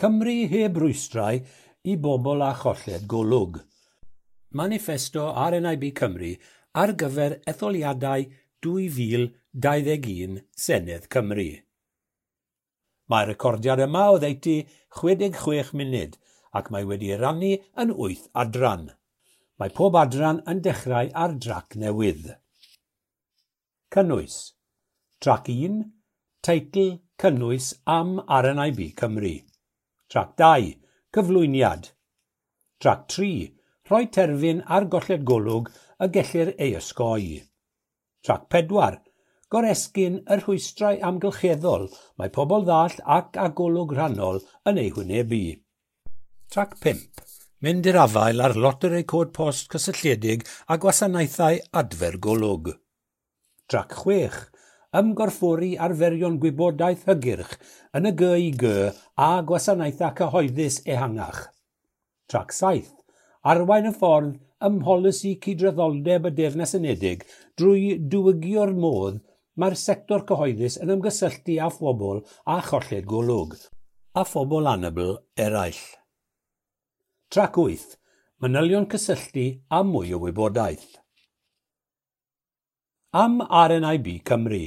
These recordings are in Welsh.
Cymru heb rwystrau i bobl â cholled golwg. Maniffesto RNIB Cymru ar gyfer etholiadau 2021 Senedd Cymru. Mae'r recordiad yma oddeutu 66 munud ac mae wedi ei rannu yn 8 adran. Mae pob adran yn dechrau ar drac newydd. Cynnwys. Trac 1, teitl cynnwys am RNIB Cymru. Trac 2, cyflwyniad. Trac 3, rhoi terfyn ar golled golwg y gellir ei osgoi. Trac 4, goresgyn y rhwystrau amgylcheddol mae pobl ddall ac â golwg rhannol yn eu hwynebu. Trac 5, mynd i'r afael â'r loteri cod post cysylltiedig a gwasanaethau adfer golwg. Trac 6, ymgorffori arferion gwybodaeth hygyrch yn y GIG a gwasanaethau cyhoeddus ehangach. Trac 7, arwain y ffordd ym mholisi cydraddoldeb y Deyrnas Unedig drwy diwygio'r modd mae'r sector cyhoeddus yn ymgysylltu â phobl a cholled golwg, a phobl anabl eraill. Trac 8, manylion cysylltu a mwy o wybodaeth. Am RNIB Cymru.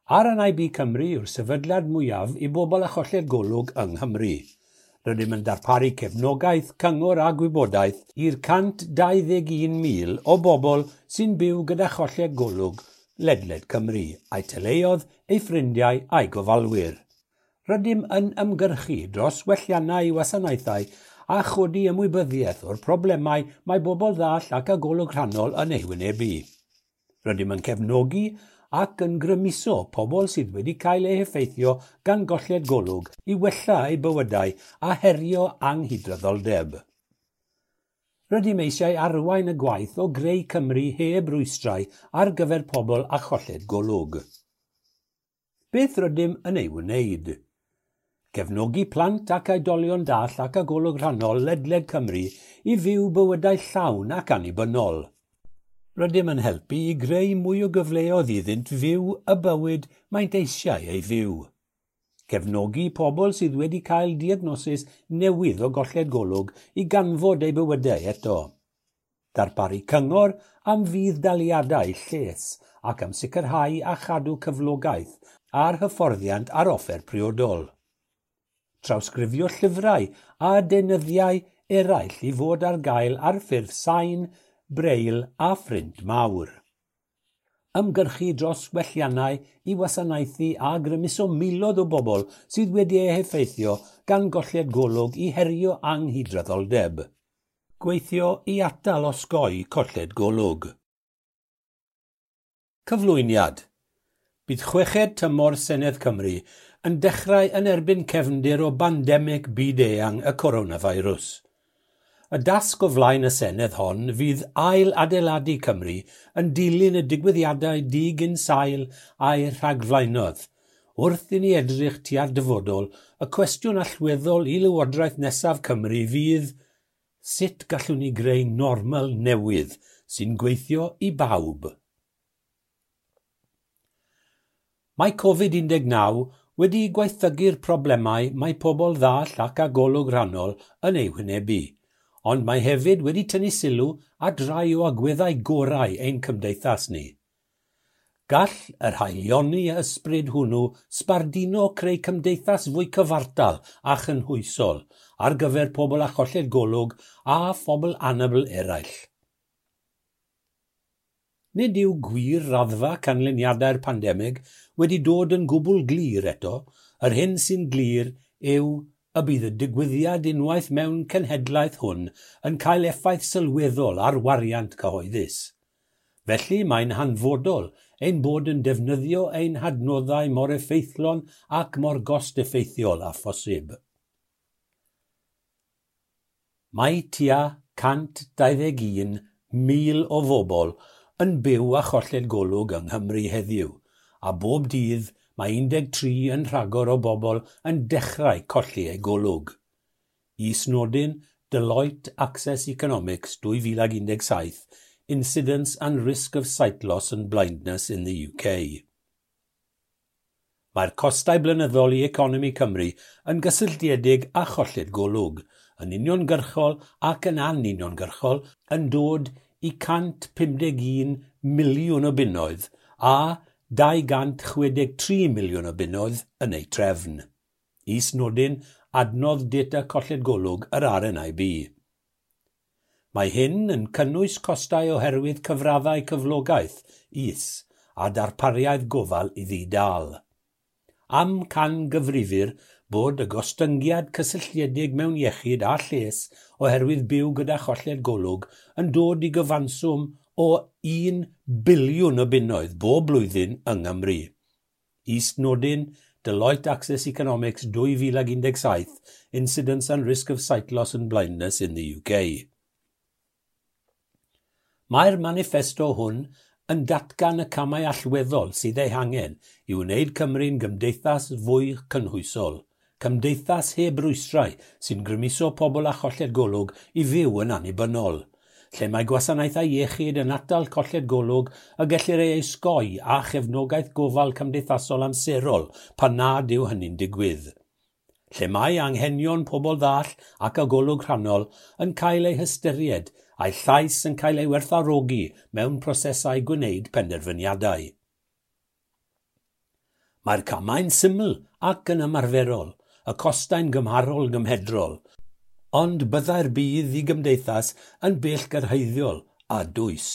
RNIB Cymru yw'r sefydliad mwyaf i bobl â cholled golwg yng Nghymru. Rydym yn darparu cefnogaeth, cyngor a gwybodaeth i'r 121,000 o bobl sy'n byw gyda cholled golwg ledled Cymru, a'u teuluoedd, eu ffrindiau a'u gofalwyr. Rydym yn ymgyrchu dros welliannau i wasanaethau a chodi ymwybyddiaeth o'r problemau mae bobl ddall ac â golwg rhannol yn eu hwynebu. Rydym yn cefnogi ac yn grymuso pobl sydd wedi cael eu heffeithio gan golled golwg i wella eu bywydau a herio anghydraddoldeb. Rydym eisiau arwain y gwaith o greu Cymru heb rwystrau ar gyfer pobl â cholled golwg. Beth rydym yn ei wneud? Cefnogi plant ac oedolion dall ac â golwg rhannol ledled Cymru i fyw bywydau llawn ac annibynnol. Rydym yn helpu i greu mwy o gyfleoedd iddynt fyw y bywyd maent eisiau ei fyw. Cefnogi pobl sydd wedi cael diagnosis newydd o golled golwg i ganfod eu bywydau eto. Darparu cyngor am fudd-daliadau lles ac am sicrhau a chadw cyflogaeth a'r hyfforddiant ar offer priodol. Trawsgrifio llyfrau a deunyddiau eraill i fod ar gael ar ffurf sain, braille a phrint mawr. Ymgyrchu dros welliannau i wasanaethu a grymuso miloedd o bobl sydd wedi eu heffeithio gan golled golwg i herio anghydraddoldeb. Gweithio i atal osgoi colled golwg. Cyflwyniad. Bydd chweched tymor Senedd Cymru yn dechrau yn erbyn cefndir o bandemig byd-eang y coronavirus. Y dasg o flaen y Senedd hon fydd ail adeiladu Cymru yn dilyn y digwyddiadau digynsail a'i rhagflaenodd. Wrth i ni edrych tua'r dyfodol, y cwestiwn allweddol i Lywodraeth nesaf Cymru fydd sut gallwn ni greu normal newydd sy'n gweithio i bawb? Mae Covid-19 wedi gwaethygu'r problemau mae pobl ddall ac â golwg rhannol yn eu hwynebu, ond mae hefyd wedi tynnu sylw at rai o agweddau gorau ein cymdeithas ni. Gall yr haelioni ysbryd hwnnw sbarduno creu cymdeithas fwy cyfartal a chynhwysol ar gyfer pobl â cholled golwg a phobl anabl eraill. Nid yw gwir raddfa canlyniadau'r pandemig wedi dod yn gwbl glir eto. Yr hyn sy'n glir yw y bydd y digwyddiad unwaith mewn cenhedlaeth hwn yn cael effaith sylweddol ar wariant cyhoeddus. Felly mae'n hanfodol ein bod yn defnyddio ein hadnoddau mor effeithlon ac mor gost-effeithiol â phosib. Mae tua 121,000 o bobl yn byw â cholled golwg yng Nghymru heddiw, a bob dydd mae 13 yn rhagor o bobl yn dechrau colli eu golwg. Is-nodyn Deloitte Access Economics 2017, Incidence and Risk of Sight Loss and Blindness in the UK. Mae'r costau blynyddol i economi Cymru yn gysylltiedig â cholled golwg, yn uniongyrchol ac yn anuniongyrchol, yn dod i 151 miliwn o bunnoedd a 263 miliwn o bunnoedd yn eu trefn. Is-nodyn adnodd data colled golwg yr RNIB. Mae hyn yn cynnwys costau oherwydd cyfraddau cyflogaeth is a darpariaeth gofal i ddi-dâl. Amcangyfrifir bod y gostyngiad cysylltiedig mewn iechyd a lles oherwydd byw gyda cholled golwg yn dod i gyfanswm o 1 biliwn o bunnoedd bob blwyddyn yng Nghymru. Is-nodyn Deloitte Access Economics 2017, Incidence and Risk of Sight Loss and Blindness in the UK. Mae'r maniffesto hwn yn datgan y camau allweddol sydd eu hangen i wneud Cymru'n gymdeithas fwy cynhwysol, cymdeithas heb rwystrau sy'n grymuso pobl â cholled golwg i fyw yn annibynnol, lle mae gwasanaethau iechyd yn atal colled golwg y gellir ei osgoi a chefnogaeth gofal cymdeithasol amserol pan nad yw hynny'n digwydd, lle mae anghenion pobl ddall ac â golwg rhannol yn cael eu hystyried a'i llais yn cael ei werthfawrogi mewn prosesau gwneud penderfyniadau. Mae'r camau'n syml ac yn ymarferol, y costau'n gymharol gymhedrol, ond byddai'r budd i gymdeithas yn bellgyrhaeddiol a dwys.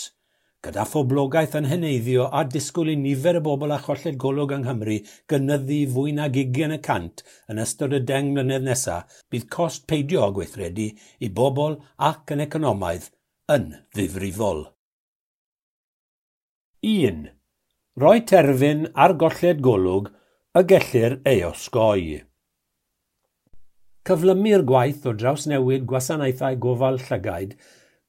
Gyda phoblogaeth yn heneiddio a disgwyl i nifer y bobl â cholled golwg yng Nghymru gynyddu fwy nag 20% yn ystod y 10 mlynedd nesaf, bydd cost peidio â gweithredu i bobl ac yn economaidd yn ddifrifol. 1. Rhoi terfyn ar golled golwg y gellir ei osgoi. Cyflymu'r gwaith o drawsnewid gwasanaethau gofal llygaid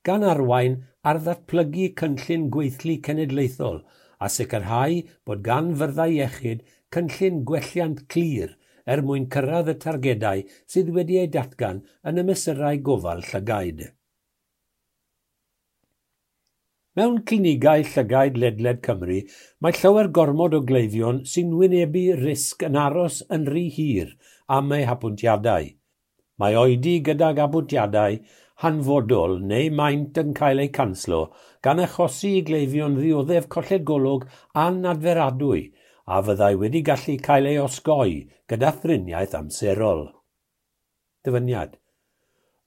gan arwain ar ddatblygu cynllun gweithlu cenedlaethol a sicrhau bod gan fyrddau iechyd cynllun gwelliant clir er mwyn cyrraedd y targedau sydd wedi eu datgan yn y mesurau gofal llygaid. Mewn clinigau llygaid ledled Cymru, mae llawer gormod o gleifion sy'n wynebu risg yn aros yn rhy hir am eu hapwyntiadau. Mae oedi gydag apwyntiadau hanfodol neu maent yn cael eu canslo gan achosi i gleifion ddioddef colled golwg anadferadwy a fyddai wedi gallu cael ei osgoi gyda thriniaeth amserol. Dyfyniad.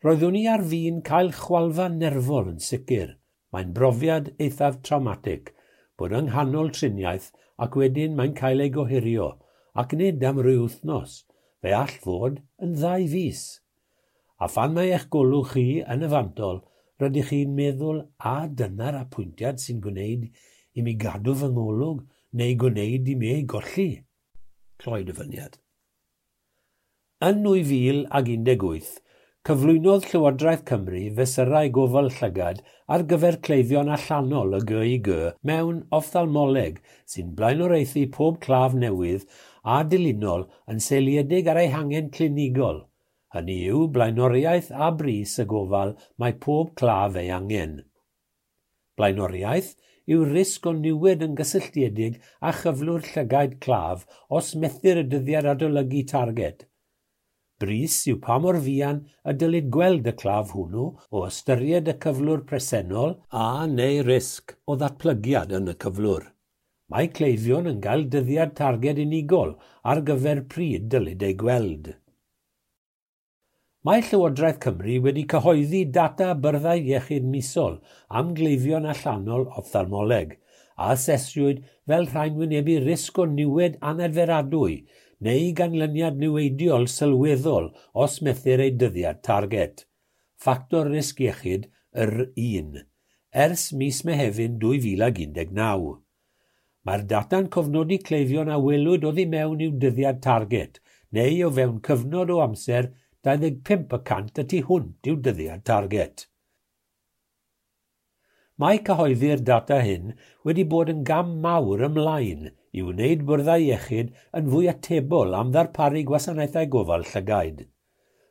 Roeddwn i ar fin cael chwalfa nerfol yn sicr. Mae'n brofiad eithaf trawmatig bod yng nghanol triniaeth ac wedyn mae'n cael ei gohirio, ac nid am ryw wythnos, fe all fod yn 2 fis. A phan mae eich golwg chi yn y fantol, rydych chi'n meddwl, a dyna'r apwyntiad sy'n gwneud i mi gadw fy ngolwg neu gwneud i mi ei golli. Cloi dyfyniad. Yn 2018, cyflwynodd Llywodraeth Cymru fesurau gofal llygad ar gyfer cleifion allanol y GIG mewn offthalmoleg sy'n blaenoriaethu pob claf newydd a dilynol yn seiliedig ar eu hangen clinigol. Hynny yw blaenoriaeth a brys y gofal mae pob claf ei angen. Blaenoriaeth yw risg o niwed yn gysylltiedig â chyflwr llygaid claf os methir y dyddiad adolygu targed. Brys yw pa mor fuan y dylid gweld y claf hwnnw o ystyried y cyflwr presennol a neu risg o ddatblygiad yn y cyflwr. Mae cleifion yn cael dyddiad targed unigol ar gyfer pryd dylid ei gweld. Mae Llywodraeth Cymru wedi cyhoeddi data byrddau iechyd misol am gleifion allanol offthalmoleg, a asesiwyd fel rhain wynebu risg o niwed anadferadwy neu ganlyniad niweidiol sylweddol os methir ei dyddiad targed. Ffactor risg iechyd yr 1, ers mis Mehefin 2019. Mae'r data'n cofnodi cleifion a welwyd oddi mewn i'w dyddiad targed, neu o fewn cyfnod o amser 25% y tu hwnt i'w dyddiad targed. Mae cyhoeddi'r data hyn wedi bod yn gam mawr ymlaen i wneud byrddau iechyd yn fwy atebol am ddarparu gwasanaethau gofal llygaid.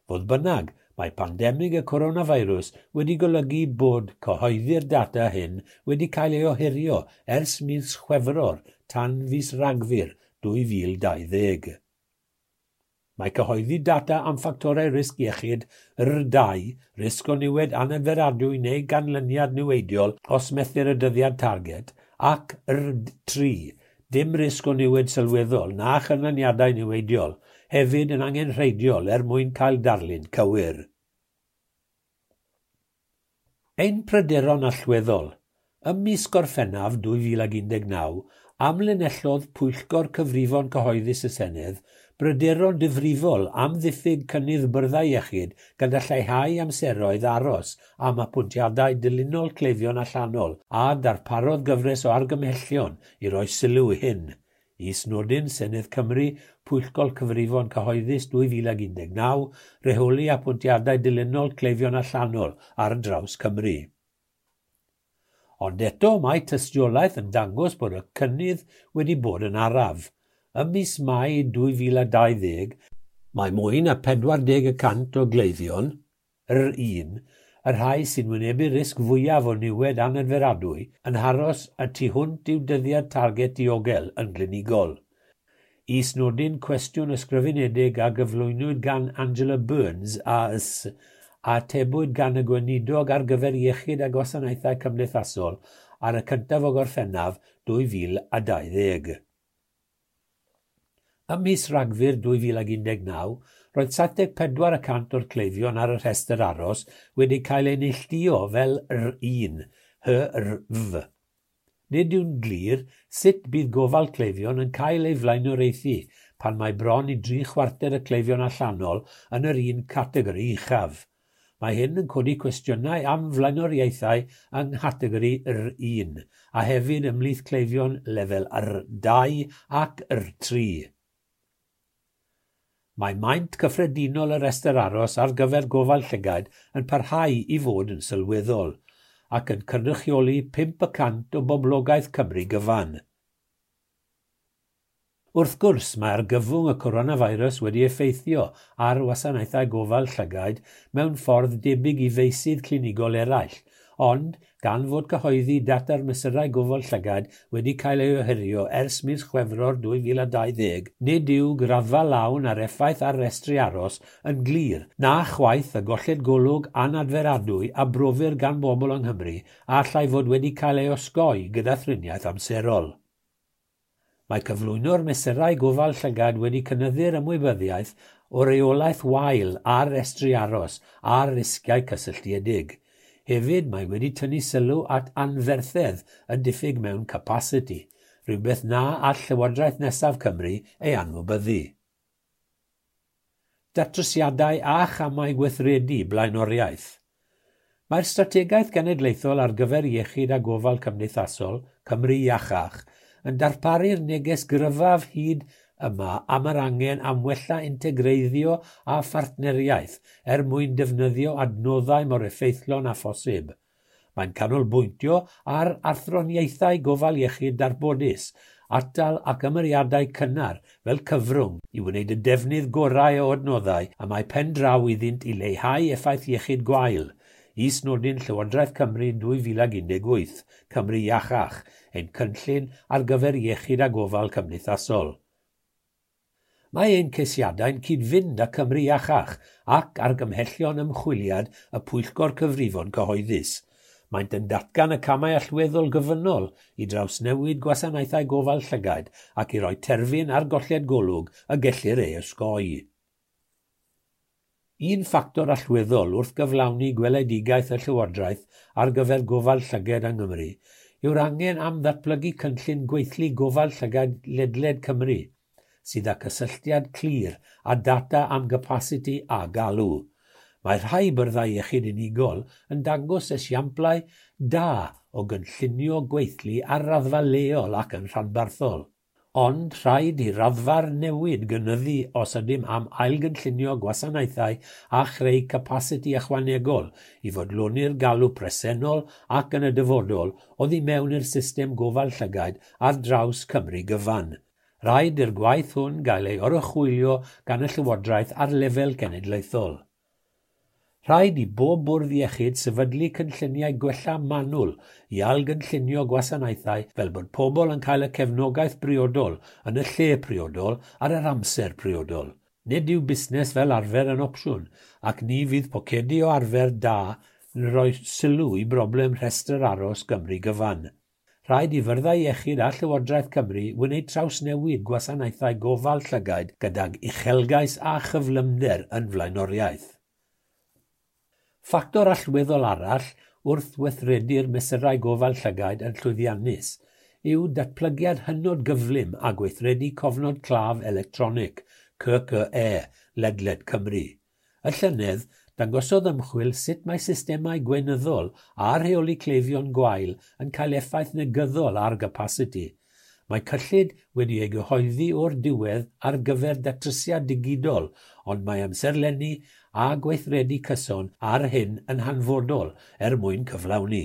Fodd bynnag, mae pandemig y coronavirus wedi golygu bod cyhoeddi'r data hyn wedi cael ei ohirio ers mis Chwefror tan fis Rhagfyr 2020. Mae cyhoeddi data am ffactorau risg iechyd R2, risg o niwed anadferadwy neu ganlyniad niweidiol os methir y dyddiad targed, ac R3, dim risg o niwed sylweddol na chanlyniadau niweidiol, hefyd yn angenrheidiol er mwyn cael darlun cywir. Ein pryderon allweddol. Ym mis Gorffennaf 2019, amlinellodd Pwyllgor Cyfrifon Cyhoeddus y Senedd bryderon difrifol am ddiffyg cynnydd byrddau iechyd gyda lleihau amseroedd aros am apwyntiadau dilynol cleifion allanol a darparodd gyfres o argymhellion i roi sylw i hyn. Is-nodyn Senedd Cymru, Pwyllgor Cyfrifon Cyhoeddus 2019, rheoli apwyntiadau dilynol cleifion allanol ar draws Cymru. Ond eto mae tystiolaeth yn dangos bod y cynnydd wedi bod yn araf. Ym mis Mai 2020, mae mwy na 40% o gleifion, R1, y rhai sy'n wynebu risg fwyaf o niwed anadferadwy, yn aros y tu hwnt i'w dyddiad targed diogel yn glinigol. Is-nodyn cwestiwn ysgrifenedig a gyflwynwyd gan Angela Burns AS a atebwyd gan y Gweinidog ar gyfer Iechyd a Gwasanaethau Cymdeithasol ar y 1 o Gorffennaf 2020. Ym mis Rhagfyr 2019, roedd 74% o'r cleifion ar y rhestr aros wedi cael eu neilltuo fel R1, HRV. Nid yw'n glir sut bydd gofal cleifion yn cael ei flaenoriaethu pan mae bron i 3/4 y cleifion allanol yn yr un categori uchaf. Mae hyn yn codi cwestiynau am flaenoriaethau yng nghategori R1 a hefyd ymhlith cleifion lefel R2 ac R3. Mae maint cyffredinol y rhestr aros ar gyfer gofal llygaid yn parhau i fod yn sylweddol, ac yn cynrychioli 5% o boblogaeth Cymru gyfan. Wrth gwrs, mae argyfwng y coronavirus wedi effeithio ar wasanaethau gofal llygaid mewn ffordd debyg i feysydd clinigol eraill, ond gan fod cyhoeddi data'r mesurau gofal llygaid wedi cael ei ohirio ers mis Chwefror 2020, nid yw graddfa lawn a'r effaith ar restri aros yn glir, na chwaith y golled golwg anadferadwy a brofir gan bobl yng Nghymru a allai fod wedi cael ei osgoi gyda thriniaeth amserol. Mae cyflwyno'r mesurau gofal llygad wedi cynyddu'r ymwybyddiaeth o reolaeth wael ar restri aros a'r risgiau cysylltiedig. Hefyd, mae wedi tynnu sylw at anferthedd y diffyg mewn capasiti, rhywbeth na all Llywodraeth nesaf Cymru ei anwybyddu. Datrysiadau a chamau gweithredu blaenoriaeth. Mae'r strategaeth genedlaethol ar gyfer iechyd a gofal cymdeithasol, Cymru Iachach, yn darparu'r neges gryfaf hyd yma am yr angen am wella integreiddio a phartneriaeth er mwyn defnyddio adnoddau mor effeithlon â phosib. Mae'n canolbwyntio ar athroniaethau gofal iechyd darbodus, atal ac ymyriadau cynnar fel cyfrwng i wneud y defnydd gorau o adnoddau a mae pen draw iddynt i leihau effaith iechyd gwael. Is-nodyn Llywodraeth Cymru 2018, Cymru Iachach, ein cynllun ar gyfer iechyd a gofal cymdeithasol. Mae ein ceisiadau'n cyd-fynd â Cymru Iachach ac argymhellion ymchwiliad y Pwyllgor Cyfrifon Cyhoeddus. Maent yn datgan y camau allweddol gyfynol i drawsnewid gwasanaethau gofal llygaid ac i roi terfyn ar golled golwg y gellir ei osgoi. Un ffactor allweddol wrth gyflawni gweledigaeth y Llywodraeth ar gyfer gofal llygad yng Nghymru yw'r angen am ddatblygu cynllun gweithlu gofal llygad ledled Cymru, sydd â cysylltiad clir a data am gapasiti a galw. Mae rhai byrddau iechyd unigol yn dangos esiamplau da o gynllunio gweithlu ar raddfa leol ac yn rhanbarthol. Ond rhaid i raddfa'r newid gynyddu os ydym am ailgynllunio gwasanaethau a chreu capasiti ychwanegol i fodloni'r galw presennol ac yn y dyfodol oddi mewn i'r system gofal llygaid ar draws Cymru gyfan. Rhaid i'r gwaith hwn gael ei oruchwylio gan y Llywodraeth ar lefel cenedlaethol. Rhaid i bob bwrdd iechyd sefydlu cynlluniau gwella manwl i ailgynllunio gwasanaethau fel bod pobl yn cael y cefnogaeth briodol yn y lle priodol ar yr amser priodol. Nid yw busnes fel arfer yn opsiwn, ac ni fydd pocedi o arfer da yn rhoi sylw i broblem rhestr aros Gymru gyfan. Rhaid i fyrddau iechyd a Llywodraeth Cymru wneud trawsnewid gwasanaethau gofal llygaid gydag uchelgais a chyflymder yn flaenoriaeth. Ffactor allweddol arall wrth weithredu'r mesurau gofal llygaid yn llwyddiannus yw datblygiad hynod gyflym a gweithredu cofnod claf electronig, CCE, ledled Cymru. Y llynedd, dangosodd ymchwil sut mae systemau gweinyddol a rheoli cleifion gwael yn cael effaith negyddol ar gapasiti. Mae cyllid wedi ei gyhoeddi o'r diwedd ar gyfer datrysiad digidol, ond mae amserlenni a gweithredu cyson ar hyn yn hanfodol er mwyn cyflawni.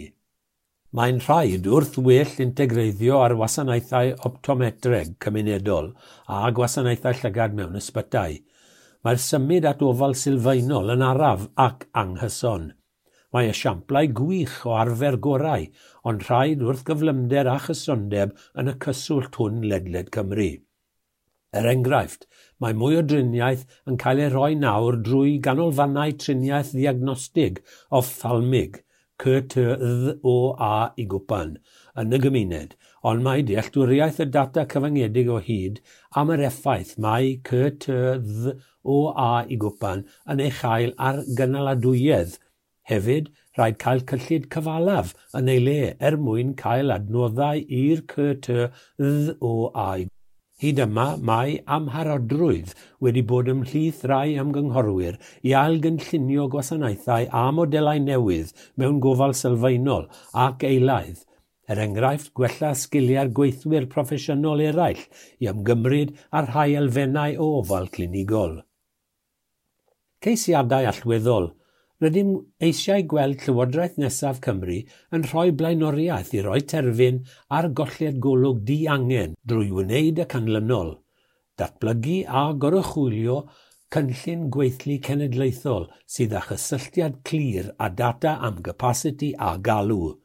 Mae'n rhaid wrth well integreiddio ar wasanaethau optometreg cymunedol a gwasanaethau llygad mewn ysbytai. Mae'r symud at ofal sylfaenol yn araf ac anghyson. Mae esiamplau gwych o arfer gorau, ond rhaid wrth gyflymder a chysondeb yn y cyswllt hwn ledled Cymru. Er enghraifft, mae mwy o driniaeth yn cael ei rhoi nawr drwy ganolfannau triniaeth ddiagnostig ophthalmig, CTDOA i gwpan, yn y gymuned, ond mae dealltwriaeth y data cyfyngedig o hyd am yr effaith mae CTDOA i gwpan yn ei chael ar gynaladwyedd. Hefyd, rhaid cael cyllid cyfalaf yn ei le er mwyn cael adnoddau i'r CTDOA. Hyd yma, mae amharodrwydd wedi bod ymhlith rai ymgynghorwyr i ailgynllunio gwasanaethau a modelau newydd mewn gofal sylfaenol ac eilaidd, er enghraifft gwella sgiliau'r gweithwyr proffesiynol eraill i ymgymryd â rhai elfennau o ofal clinigol. Ceisiadau allweddol. Rydym eisiau gweld Llywodraeth nesaf Cymru yn rhoi blaenoriaeth i roi terfyn ar golled golwg diangen drwy wneud y canlynol: datblygu a goruchwylio cynllun gweithlu cenedlaethol sydd â chysylltiad clir â data am gapasiti a galw,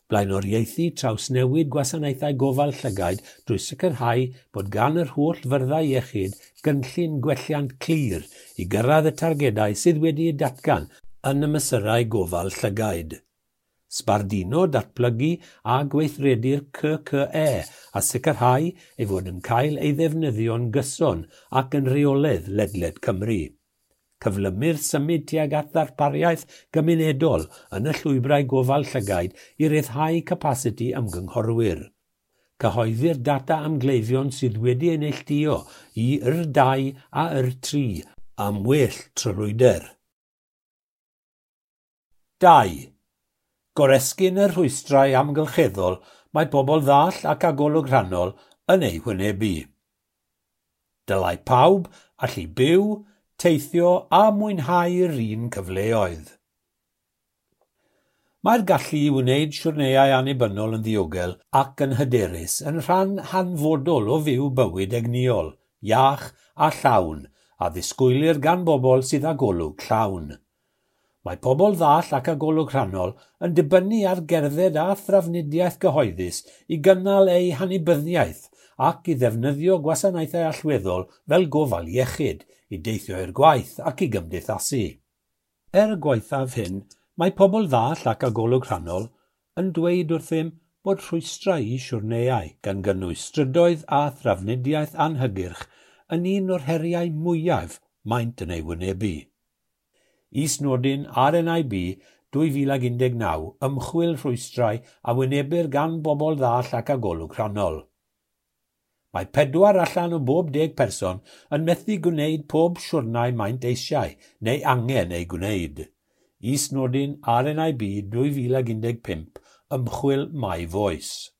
blaenoriaethu trawsnewid gwasanaethau gofal llygaid drwy sicrhau bod gan yr holl fyrddau iechyd gynllun gwelliant clir i gyrraedd y targedau sydd wedi'u datgan yn y mesurau gofal llygaid. Sbarduno, datblygu a gweithredu'r CCE a sicrhau ei fod yn cael ei ddefnyddio'n gyson ac yn rheolaidd ledled Cymru. Cyflymu'r symud tuag at ddarpariaeth gymunedol yn y llwybrau gofal llygaid i ryddhau capasiti ymgynghorwyr. Cyhoeddi'r data am gleifion sydd wedi ei neilltuo i R2 a R3 am well tryloywder. 2. Goresgyn y rhwystrau amgylcheddol mae pobl ddall ac â golwg rhannol yn eu hwynebu. Dylai pawb allu byw, teithio a mwynhau'r un cyfleoedd. Mae'r gallu i wneud siwrneiau annibynnol yn ddiogel ac yn hyderus yn rhan hanfodol o fyw bywyd egnïol, iach a llawn, a ddisgwylir gan bobl sydd â golwg llawn. Mae pobl ddall ac â golwg rhannol yn dibynnu ar gerdded a thrafnidiaeth gyhoeddus i gynnal eu hannibyniaeth ac i ddefnyddio gwasanaethau allweddol fel gofal iechyd, i deithio i'r gwaith ac i gymdeithasu. Er gwaethaf hyn, mae pobl ddall ac â golwg rhannol yn dweud wrthym bod rhwystrau i siwrneiau, gan gynnwys strydoedd a thrafnidiaeth anhygyrch, yn un o'r heriau mwyaf maent yn ei wynebu. Is-nodyn RNIB 2019 ymchwil rhwystrau a wynebir gan bobl ddall ac â golwg rhannol. Mae 4 allan o bob 10 person yn methu gwneud pob siwrnai maent eisiau neu angen ei gwneud. Is-nodyn RNIB 2015 ymchwil My Voice.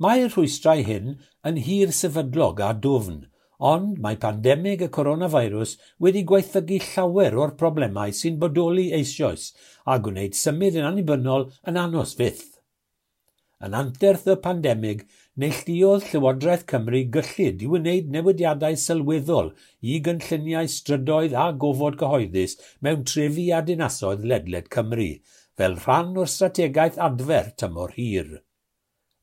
Mae'r rhwystrau hyn yn hir sefydlog a dwfn, ond mae pandemig y coronavirus wedi gwaethygu llawer o'r problemau sy'n bodoli eisoes a gwneud symud yn annibynnol yn anos fyth. Yn anterth y pandemig, neilltuodd Llywodraeth Cymru gyllid i wneud newidiadau sylweddol i gynlluniau strydoedd a gofod cyhoeddus mewn trefi a dinasoedd ledled Cymru, fel rhan o'r strategaeth adfer tymor hir.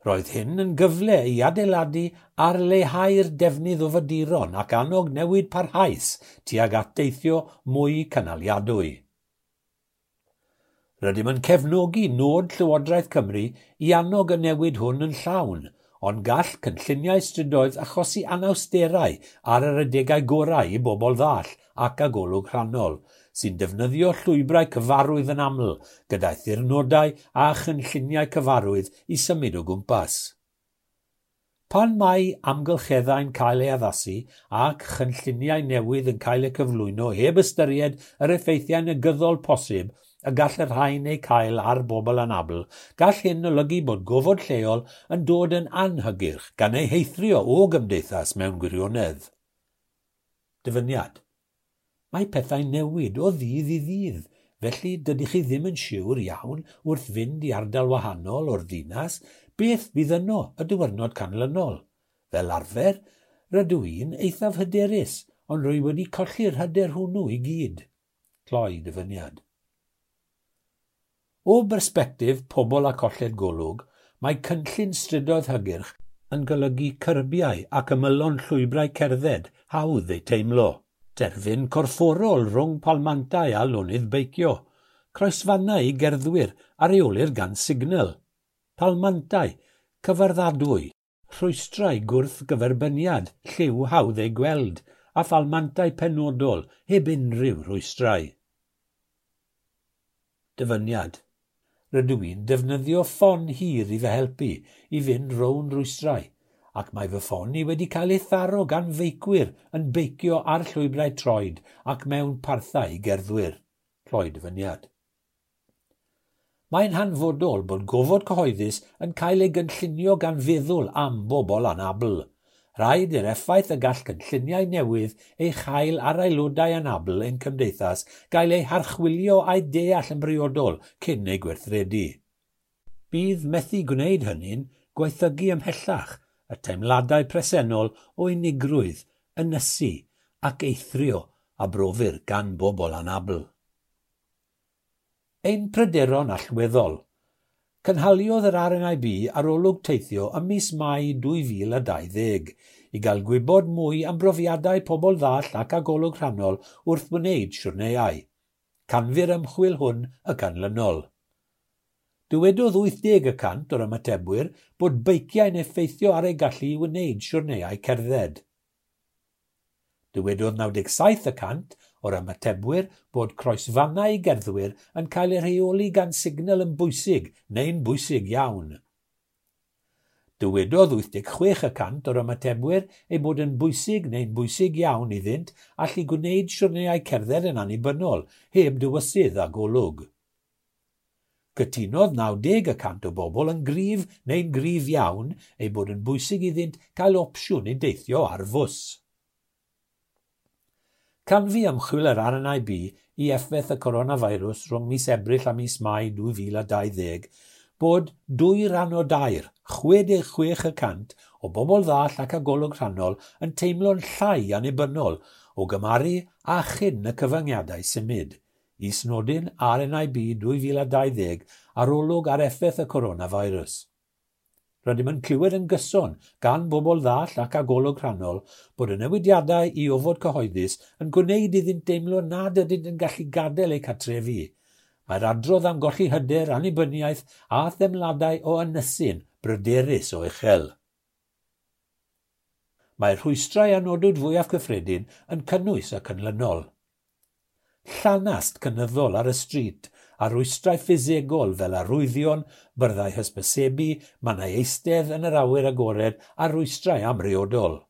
Roedd hyn yn gyfle i adeiladu ar leihau'r defnydd o foduron ac annog newid parhaus tuag at deithio mwy cynaliadwy. Rydym yn cefnogi nod Llywodraeth Cymru i annog y newid hwn yn llawn, ond gall cynlluniau strydoedd achosi anawsterau ar yr adegau gorau i bobl ddall ac â golwg rhannol, sy'n defnyddio llwybrau cyfarwydd yn aml, gyda'i thirnodau a chynlluniau cyfarwydd i symud o gwmpas. Pan mae amgylcheddau'n cael eu addasu ac chynlluniau newydd yn cael eu cyflwyno heb ystyried yr effeithiau negyddol posib y gall y rhain eu cael ar bobl anabl, gall hyn olygu bod gofod lleol yn dod yn anhygyrch gan eu heithrio o gymdeithas mewn gwirionedd. Dyfyniad. Mae pethau'n newid o ddydd i ddydd, felly dydych chi ddim yn siŵr iawn wrth fynd i ardal wahanol o'r ddinas beth fydd yno y diwrnod canlynol. Fel arfer, rydw i'n eithaf hyderus, ond rwy wedi colli'r hyder hwnnw i gyd. Cloi dyfyniad. O bersbectif pobl â colled golwg, mae cynllun strydoedd hygyrch yn golygu cyrbiau ac ymylon llwybrau cerdded hawdd eu teimlo. Terfyn corfforol rhwng palmantau a lonydd beicio, croesfannau i gerddwyr a reolir gan signal, palmantau, cyfarddadwy, rhwystrau gwrthgyferbyniad, lliw hawdd eu gweld, a phalmantau penodol heb unrhyw rhwystrau. Dyfyniad. Rydw i'n defnyddio ffon hir i fy helpu i fynd rownd rwystrau, ac mae fy ffon i wedi cael ei tharo gan feicwyr yn beicio ar llwybrau troed ac mewn parthau i gerddwyr. Cloi dyfyniad. Mae'n hanfodol bod gofod cyhoeddus yn cael ei gynllunio gan feddwl am bobl anabl. Rhaid i'r effaith y gall cynlluniau newydd ei chael ar aelodau anabl ein cymdeithas gael ei harchwilio a'i deall yn briodol cyn ei gweithredu. Bydd methu gwneud hynny'n gwaethygu ymhellach y teimladau presennol o unigrwydd, ynysu ac eithrio a brofir gan bobl anabl. Ein pryderon allweddol. Cynhaliodd yr RNIB arolwg teithio ym mis Mai 2020 i gael gwybod mwy am brofiadau pobl ddall ac â golwg rhannol wrth wneud siwrneiau. Canfu'r ymchwil hwn y canlynol. Dywedodd 80% o'r ymatebwyr bod beiciau'n effeithio ar eu gallu i wneud siwrneiau cerdded. Dywedodd 97% o'r ymatebwyr bod croesfannau i gerddwyr yn cael eu rheoli gan signal yn bwysig neu'n bwysig iawn. Dywedodd 86% o'r ymatebwyr ei bod yn bwysig neu'n bwysig iawn iddynt allu gwneud siwrneiau cerdded yn annibynnol, heb dywysydd a golwg. Cytunodd 90% o bobl yn gryf neu'n gryf iawn ei bod yn bwysig iddynt cael opsiwn i deithio ar fws. Canfu ymchwil yr RNIB i effaith y coronavirus rhwng mis Ebrill a mis Mai 2020 bod 2 rhan o 3, 66% o bobl ddall ac â golwg rhannol yn teimlo'n llai annibynnol o gymharu â chyn y cyfyngiadau symud. Is-nodyn RNIB 2020 arolwg ar effaith y coronavirus. Rydym yn clywed yn gyson gan bobl ddall ac â golwg rhannol bod y newidiadau i ofod cyhoeddus yn gwneud iddynt deimlo nad ydynt yn gallu gadael eu cartrefi. Mae'r adrodd am golli hyder, annibyniaeth a theimladau o ynysu'n bryderus o uchel. Mae'r rhwystrau a nodwyd fwyaf cyffredin yn cynnwys y canlynol. Llanast cynyddol ar y stryd a rhwystrau ffisegol fel arwyddion, byrddau hysbysebu, mannau eistedd yn yr awyr agored a rhwystrau amriodol.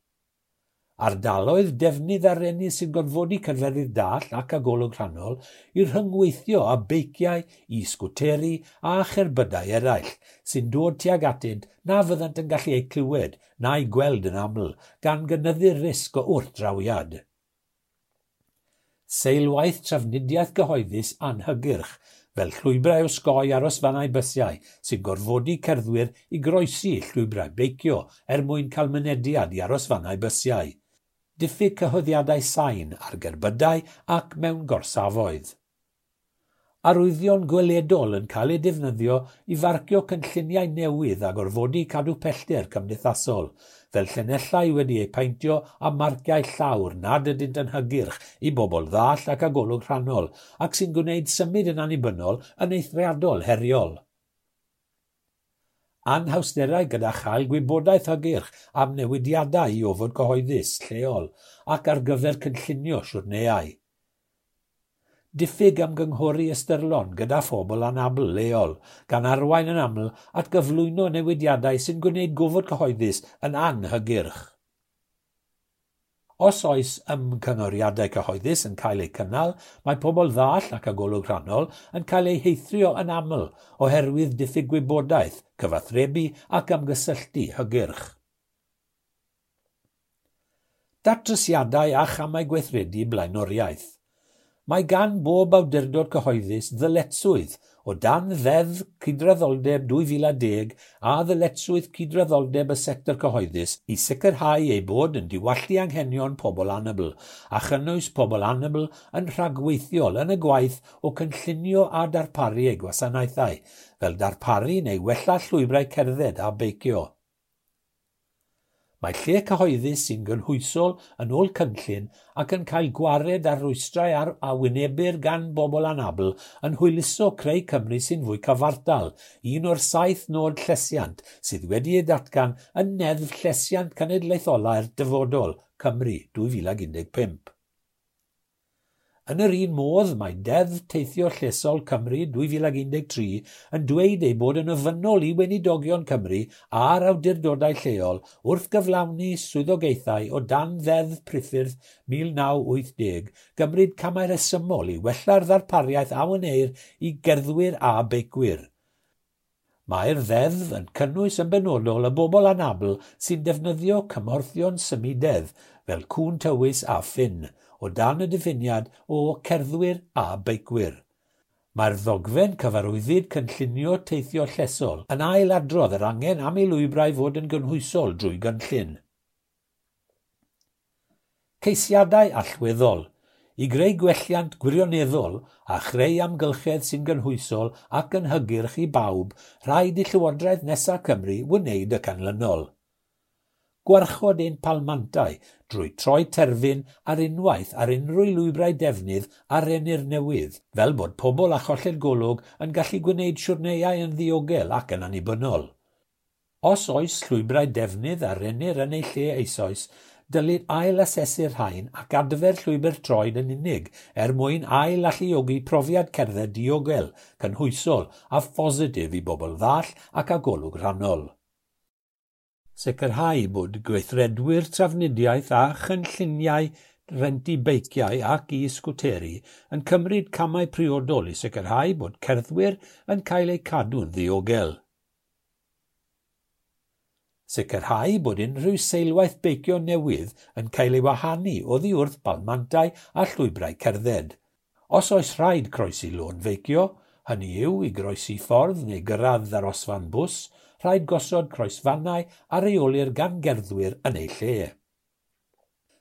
Ardaloedd defnydd a rennir sy'n gorfodi cerfeddyd dall ac â golwg rhannol i rhyngweithio â beiciau, i sgwteri a cherbydau eraill sy'n dod tuag atynt na fyddant yn gallu eu clywed na'u gweld yn aml, gan gynyddu'r risg o wrthdrawiad. Seilwaith trafnidiaeth gyhoeddus anhygyrch, fel llwybrau osgoi arosfannau bysiau sy'n gorfodi cerddwyr i groesi llwybrau beicio er mwyn cael mynediad i arosfannau bysiau. Diffyg cyhoeddiadau sain ar gerbydau ac mewn gorsafoedd. Arwyddion gweledol yn cael eu defnyddio i farcio cynlluniau newydd a gorfodi cadw pellter cymdeithasol, fel llinellau wedi eu paentio a marciau llawr nad ydynt yn hygyrch i bobl ddall ac â golwg rhannol, ac sy'n gwneud symud yn annibynnol yn eithriadol heriol. Anhawsterau gyda chael gwybodaeth hygyrch am newidiadau i ofod cyhoeddus lleol ac ar gyfer cynllunio siwrneau. Diffyg ymgynghori ystyrlon gyda phobl anabl leol, gan arwain yn aml at gyflwyno newidiadau sy'n gwneud gofod cyhoeddus yn anhygyrch. Os oes ymgynghoriadau cyhoeddus yn cael eu cynnal, mae pobl ddall ac â golwg rhannol yn cael eu heithrio yn aml oherwydd diffyg gwybodaeth, cyfathrebu ac ymgysylltu hygyrch. Datrysiadau a chamau gweithredu blaenoriaeth. Mae gan bob awdurdod cyhoeddus ddyletswydd o dan Ddeddf Cydraddoldeb 2010 a ddyletswydd cydraddoldeb y sector cyhoeddus i sicrhau ei bod yn diwallu anghenion pobl anabl a chynnwys pobl anabl yn rhagweithiol yn y gwaith o cynllunio a darparu eu gwasanaethau, fel darparu neu wella llwybrau cerdded a beicio. Mae lle cyhoeddus sy'n gynhwysol yn ôl cynllun ac yn cael gwared ar rwystrau ar a wynebir gan bobl anabl yn hwyluso creu Cymru sy'n fwy cyfartal, un o'r 7 nod llesiant sydd wedi ei datgan yn Neddf Llesiant Cenedlaetholau'r Dyfodol, Cymru 2015. Yn yr un modd, mae Deddf Teithio Llesol Cymru 2013 yn dweud ei bod yn ofynnol i Weinidogion Cymru a'r awdurdodau lleol wrth gyflawni swyddogaethau o dan Ddeddf Priffyrdd 1980 gymryd camau rhesymol i wella'r ddarpariaeth a wneir i gerddwyr a beicwyr. Mae'r ddeddf yn cynnwys yn benodol y bobl anabl sy'n defnyddio cymhorthion symudedd fel cŵn tywys a ffyn, o dan y diffiniad o cerddwyr a beicwyr. Mae'r ddogfen cyfarwyddyd cynllunio teithio llesol yn ailadrodd yr angen am i lwybrau fod yn gynhwysol drwy gynllun. Ceisiadau allweddol i greu gwelliant gwirioneddol a chreu amgylchedd sy'n gynhwysol ac yn hygyrch i bawb, rhaid i Llywodraeth nesaf Cymru wneud y canlynol. Gwarchod ein palmantau drwy troi terfyn ar unwaith ar unrhyw lwybrau defnydd a rennir newydd, fel bod pobl â cholled golwg yn gallu gwneud siwrneiau yn ddiogel ac yn annibynnol. Os oes llwybrau defnydd a rennir yn eu lle eisoes, dylid ail-asesu'r rhain ac adfer llwybr troed yn unig er mwyn ail-alluogi profiad cerdded diogel, cynhwysol a phositif i bobl ddall ac â golwg rhannol. Sicrhau bod gweithredwyr trafnidiaeth a chynlluniau rentu beiciau ac e-sgwteri yn cymryd camau priodol i sicrhau bod cerddwyr yn cael eu cadw'n ddiogel. Sicrhau bod unrhyw seilwaith beicio newydd yn cael ei wahanu oddi wrth balmantau a llwybrau cerdded. Os oes rhaid croesi lôn feicio, hynny yw i groesi ffordd neu gyrraedd arosfan bws, rhaid gosod croesfannau a reolir gan gerddwyr yn eu lle.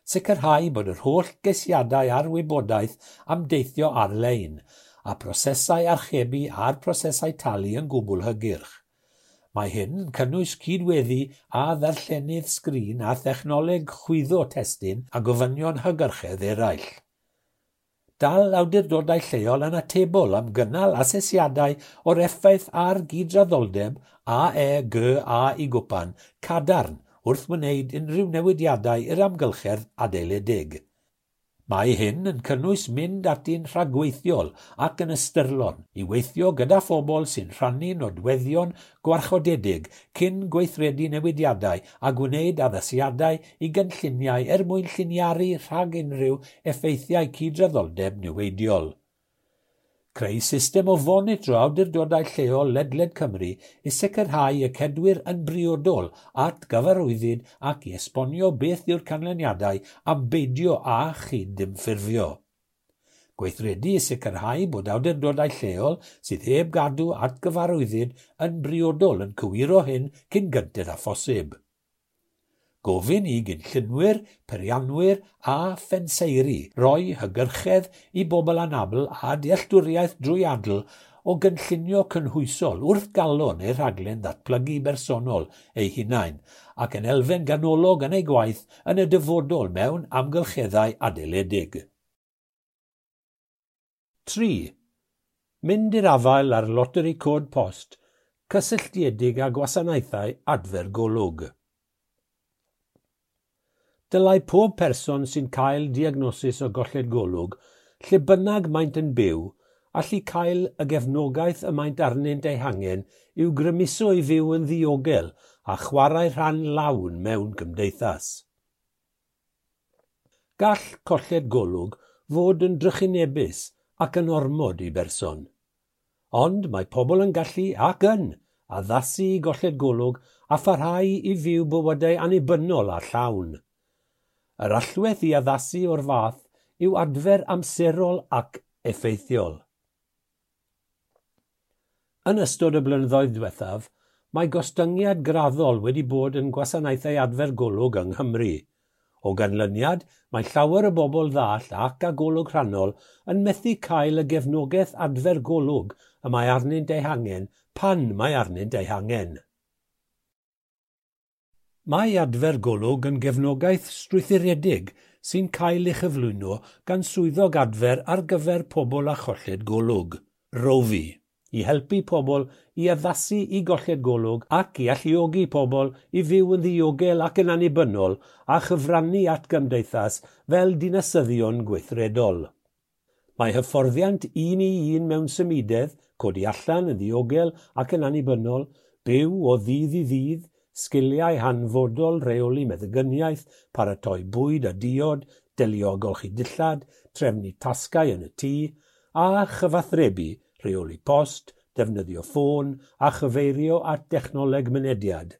Sicrhau bod yr holl geisiadau a'r wybodaeth am deithio ar-lein, a prosesau archebu a'r prosesau talu yn gwbl hygyrch. Mae hyn yn cynnwys cydweddu a ddarllenydd sgrin a thechnoleg chwyddo testun a gofynion hygyrchedd eraill. Dal awdurdodau lleol yn atebol am gynnal asesiadau o'r effaith ar gydraddoldeb A, E, G, A i gwpan cadarn wrth wneud unrhyw newidiadau i'r amgylchedd adeiledig. Mae hyn yn cynnwys mynd ati'n rhagweithiol ac yn ystyrlon i weithio gyda phobl sy'n rhannu nodweddion gwarchodedig cyn gweithredu newidiadau a gwneud addasiadau i gynlluniau er mwyn lliniaru rhag unrhyw effeithiau cydraddoldeb niweidiol. Creu system o fonitro awdurdodau lleol ledled Cymru i sicrhau y cedwir yn briodol at gyfarwyddyd ac i esbonio beth yw'r canlyniadau am beidio â chydymffurfio. Gweithredu i sicrhau bod awdurdodau lleol sydd heb gadw at gyfarwyddyd yn briodol yn cywiro hyn cyn gynted â phosib. Gofyn i gynllunwyr, peirianwyr a phenseiri roi hygyrchedd i bobl anabl a dealltwriaeth drwyadl o gynllunio cynhwysol wrth galon eu rhaglen ddatblygu bersonol eu hunain ac yn elfen ganolog yn eu gwaith yn y dyfodol mewn amgylcheddau adeiledig. 3. Mynd i'r afael â'r loteri cod post cysylltiedig â gwasanaethau adfer golwg. Dylai pob person sy'n cael diagnosis o golled golwg, lle bynnag maent yn byw, allu cael y gefnogaeth y maent arnynt ei hangen i'w grymuso i fyw yn ddiogel a chwarae rhan lawn mewn cymdeithas. Gall colled golwg fod yn drychinebus ac yn ormod i berson. Ond mae pobl yn gallu ac yn addasu i golled golwg a pharhau i fyw bywydau annibynnol a llawn. Yr allwedd i addasu o'r fath yw adfer amserol ac effeithiol. Yn ystod y blynyddoedd diwethaf, mae gostyngiad graddol wedi bod yn gwasanaethau adfer golwg yng Nghymru. O ganlyniad, mae llawer o bobl ddall ac â golwg rhannol yn methu cael y gefnogaeth adfer golwg y mae arnynt ei hangen pan mae arnynt ei hangen. Mae adfer golwg yn gefnogaeth strwythuredig sy'n cael ei chyflwyno gan swyddog adfer ar gyfer pobl â cholled golwg, ROVI, i helpu pobl i addasu i golled golwg ac i alluogi pobl i fyw yn ddiogel ac yn annibynnol a chyfrannu at gymdeithas fel dinasyddion gweithredol. Mae hyfforddiant un i un mewn symudedd, codi allan yn ddiogel ac yn annibynnol, byw o ddydd i ddydd, sgiliau hanfodol rheoli meddygyniaeth, paratoi bwyd a diod, delio â golchi dillad, trefnu tasgau yn y tŷ, a chyfathrebu, rheoli post, defnyddio ffôn a chyfeirio at dechnoleg mynediad.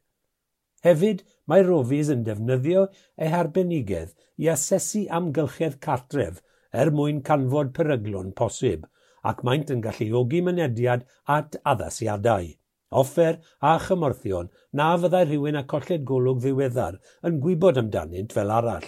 Hefyd, mae Rovis yn defnyddio eu harbenigedd i asesu amgylchedd cartref er mwyn canfod peryglon posib, ac maent yn galluogi mynediad at addasiadau, offer a chymorthion na fyddai rhywun â colled golwg ddiweddar yn gwybod amdanynt fel arall.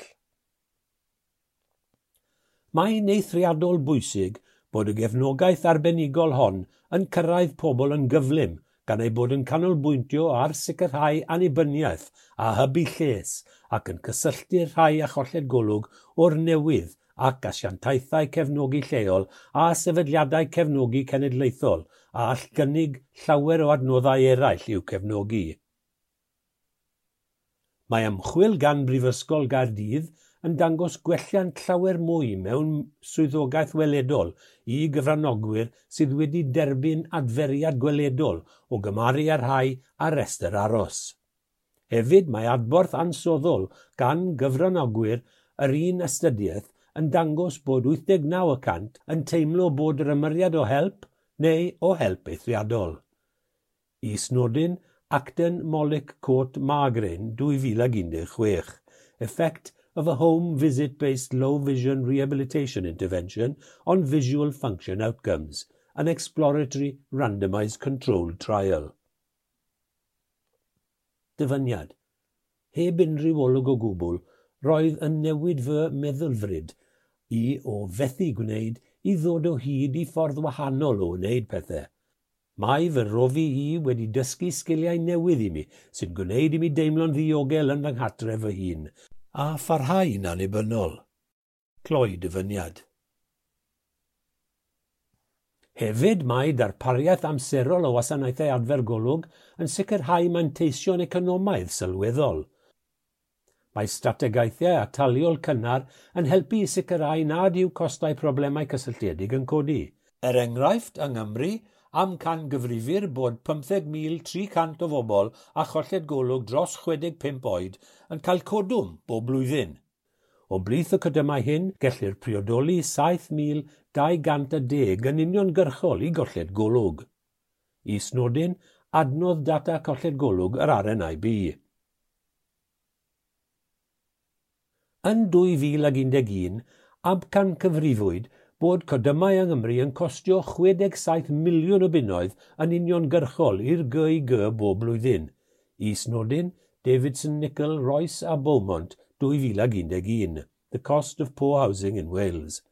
Mae'n eithriadol bwysig bod y gefnogaeth arbenigol hon yn cyrraedd pobl yn gyflym gan ei bod yn canolbwyntio ar sicrhau annibyniaeth a hybu lles ac yn cysylltu'r rhai â cholled golwg o'r newydd ac asiantaethau cefnogi lleol a sefydliadau cefnogi cenedlaethol a all gynnig llawer o adnoddau eraill i'w cefnogi. Mae ymchwil gan Brifysgol Gaerdydd yn dangos gwelliant llawer mwy mewn swyddogaeth weledol i gyfranogwyr sydd wedi derbyn adferiad gweledol o gymharu â rhai ar restr aros. Hefyd mae adborth ansoddol gan gyfranogwyr yr un astudiaeth yn dangos bod 89% yn teimlo bod yr ymyriad o help neu o help eithriadol. Is-nodyn Acton Molic Court Margarine 2016, Effect of a home visit-based low vision rehabilitation intervention on visual function outcomes, an exploratory randomised controlled trial. Dyfyniad. Heb unrhyw olwg o gwbl, roedd yn newid fy meddylfryd i o fethu gwneud i ddod o hyd i ffordd wahanol o wneud pethau. Mae fy rofi i wedi dysgu sgiliau newydd i mi sy'n gwneud i mi deimlo'n ddiogel yn fy nghartref fy hun, a pharhau'n annibynnol. Cloi dyfyniad. Hefyd mae darpariaeth amserol o wasanaethau adfer golwg yn sicrhau manteision economaidd sylweddol. Mae strategaethau ataliol cynnar yn helpu i sicrhau nad yw costau problemau cysylltiedig yn codi. Er enghraifft, yng Nghymru, amcangyfrifir bod 15,300 o bobl â cholled golwg dros 65 oed yn cael codwm bob blwyddyn. O blith y codymau hyn, gellir priodoli 7,210 yn uniongyrchol i golled golwg. Is-nodyn, adnodd data colled golwg yr RNIB. Yn 2011, amcangyfrifwyd bod codymau yng Nghymru yn costio 67 miliwn o bunnoedd yn uniongyrchol i'r GIG bob blwyddyn. Is-nodyn, Davidson Nicol, Royce a Beaumont, 2011, The Cost of Poor Housing in Wales.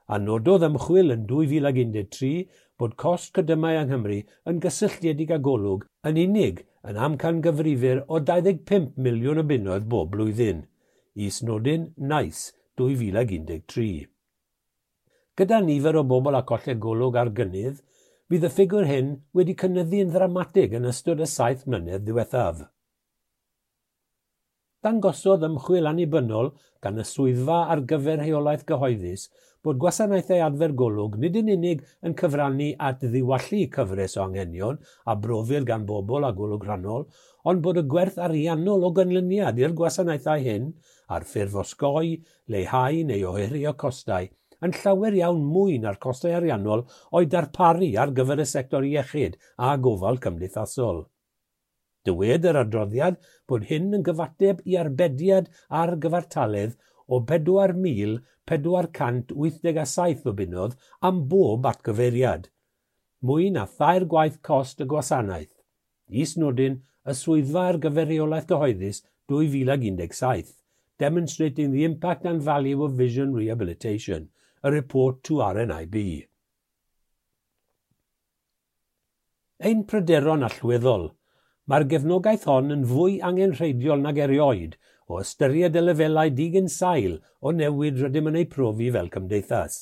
A nododd ymchwil yn 2013 bod cost codymau yng Nghymru yn gysylltiedig â golwg yn unig yn amcangyfrifir o 25 miliwn o bunnoedd bob blwyddyn. Is-nodyn, NICE, 2013. Gyda nifer o bobl â colled golwg ar gynnydd, bydd y ffigwr hyn wedi cynyddu yn ddramatig yn ystod y 7 mlynedd ddiwethaf. Dangosodd ymchwil annibynnol gan y Swyddfa ar gyfer Rheolaeth Gyhoeddus bod gwasanaethau adfer golwg nid yn unig yn cyfrannu at ddiwallu cyfres o anghenion a brofir gan bobl â golwg rhannol, ond bod y gwerth ariannol o ganlyniad i'r gwasanaethau hyn, ar ffurf osgoi, leihau neu ohirio costau, yn llawer iawn mwy na'r costau ariannol o'i darparu ar gyfer y sector iechyd a gofal cymdeithasol. Dywed yr adroddiad bod hyn yn gyfateb i arbediad ar gyfartaledd o 4,487 o bunnoedd am bob atgyfeiriad, mwy na thair gwaith cost y gwasanaeth. Is-nodyn, y Swyddfa ar gyfer Rheolaeth Gyhoeddus 2017, Demonstrating the Impact and Value of Vision Rehabilitation, a report to RNIB. Ein pryderon allweddol. Mae'r gefnogaeth hon yn fwy angenrheidiol nag erioed o ystyried y lefelau digynsail o newid rydym yn eu profi fel cymdeithas.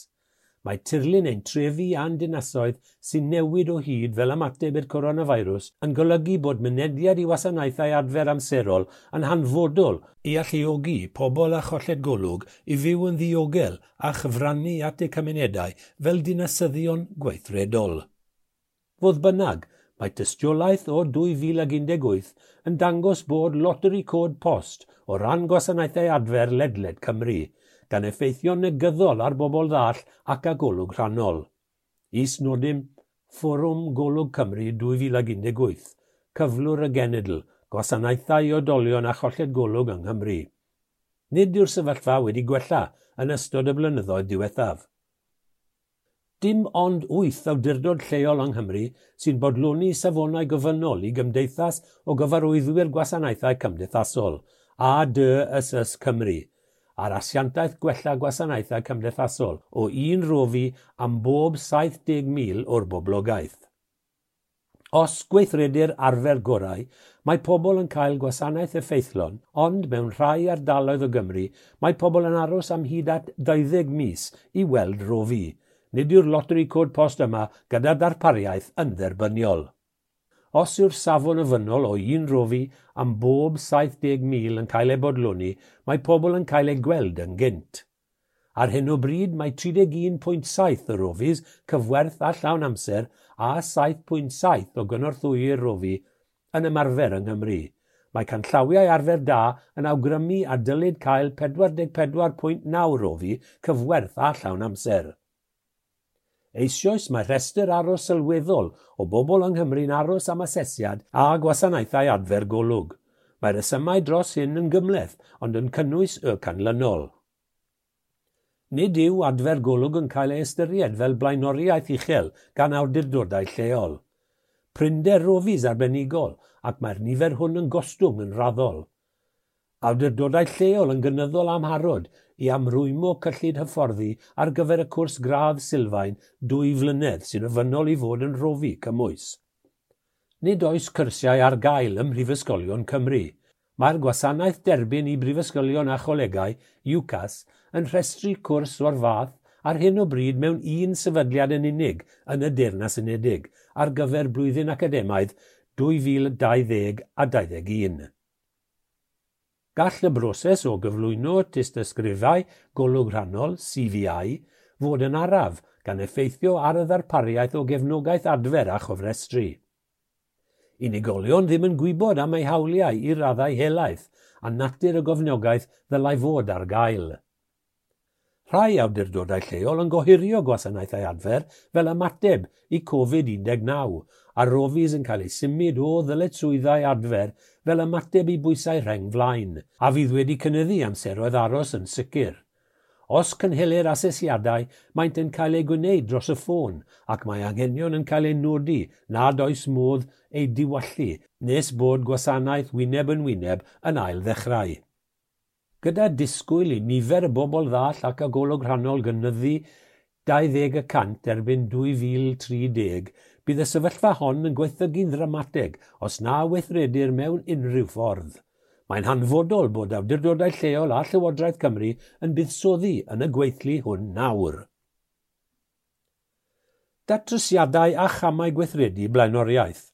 Mae tirlun ein trefi a'n dinasoedd sy'n newid o hyd fel ymateb i'r coronavirus yn golygu bod mynediad i wasanaethau adfer amserol yn hanfodol i alluogi pobl â cholled golwg i fyw yn ddiogel a chyfrannu at eu cymunedau fel dinasyddion gweithredol. Fodd bynnag, mae tystiolaeth o 2018 yn dangos bod loteri cod post o ran gwasanaethau adfer ledled Cymru, gan effeithio'n negyddol ar bobl ddall ac â golwg rhannol. Is-nodyn, Fforwm Golwg Cymru 2018, Cyflwr y Genedl, Gwasanaethau i Oedolion a Cholled Golwg yng Nghymru. Nid yw'r sefyllfa wedi gwella yn ystod y blynyddoedd diwethaf. Dim ond 8 awdurdod lleol yng Nghymru sy'n bodloni safonau gofynnol i Gymdeithas o Gyfarwyddwyr Gwasanaethau Cymdeithasol, ADSS Cymru, a'r Asiantaeth Gwella Gwasanaethau Cymdeithasol o un rofi am bob 70,000 o'r boblogaeth. Os gweithredir arfer gorau, mae pobl yn cael gwasanaeth effeithlon, ond mewn rhai ardaloedd o Gymru, mae pobl yn aros am hyd at 20 mis i weld rofi. Nid yw'r loteri cod post yma gyda darpariaeth yn dderbyniol. Os yw'r safon ofynnol o un rofi am bob 70,000 yn cael ei bodloni, mae pobl yn cael eu gweld yn gynt. Ar hyn o bryd mae 31.7 o rofis cyfwerth a llawn amser a 7.7 o gynorthwywyr rofi yn ymarfer yng Nghymru. Mae canllawiau arfer da yn awgrymu a dylid cael 44.9 rofi cyfwerth a llawn amser. Eisoes mae rhestr aros sylweddol o bobl yng Nghymru'n aros am asesiad a gwasanaethau adfer golwg. Mae'r rhesymau dros hyn yn gymhleth, ond yn cynnwys y canlynol. Nid yw adfer golwg yn cael ei ystyried fel blaenoriaeth uchel gan awdurdodau lleol. Prinder rofis arbenigol, ac mae'r nifer hwn yn gostwng yn raddol. Awdurdodau lleol yn gynyddol amharod i amrwymo cyllid hyfforddi ar gyfer y cwrs gradd sylfaen 2 flynedd sy'n ofynnol i fod yn rofi cymwys. Nid oes cyrsiau ar gael ym Mhrifysgolion Cymru. Mae'r gwasanaeth derbyn i brifysgolion a cholegau, UCAS, yn rhestru cwrs o'r fath ar hyn o bryd mewn un sefydliad yn unig yn y Deyrnas Unedig ar gyfer blwyddyn academaidd 2020 a 2021. Gall y broses o gyflwyno tystysgrifau golwg rhannol, CVI, fod yn araf gan effeithio ar y ddarpariaeth o gefnogaeth adfer a chofrestru. Unigolion ddim yn gwybod am eu hawliau i raddau helaeth a natur y gofnogaeth ddylai fod ar gael. Rhai awdurdodau lleol yn gohirio gwasanaethau adfer fel ymateb i Covid-19 a rofis yn cael eu symud o ddyletswyddau adfer fel ymateb i bwysau rheng flaen, a fydd wedi cynyddu amseroedd aros yn sicr. Os cynhelir asesiadau, maent yn cael eu gwneud dros y ffôn ac mae anghenion yn cael eu nodi nad oes modd eu diwallu nes bod gwasanaeth wyneb yn wyneb yn ail ddechrau. Gyda disgwyl i nifer y bobl ddall ac â golwg rhannol gynyddu 20% erbyn 2030, bydd y sefyllfa hon yn gwaethygu'n ddramatig os na weithredir mewn unrhyw ffordd. Mae'n hanfodol bod awdurdodau lleol a Llywodraeth Cymru yn buddsoddi yn y gweithlu hwn nawr. Datrysiadau a chamau gweithredu blaenoriaeth.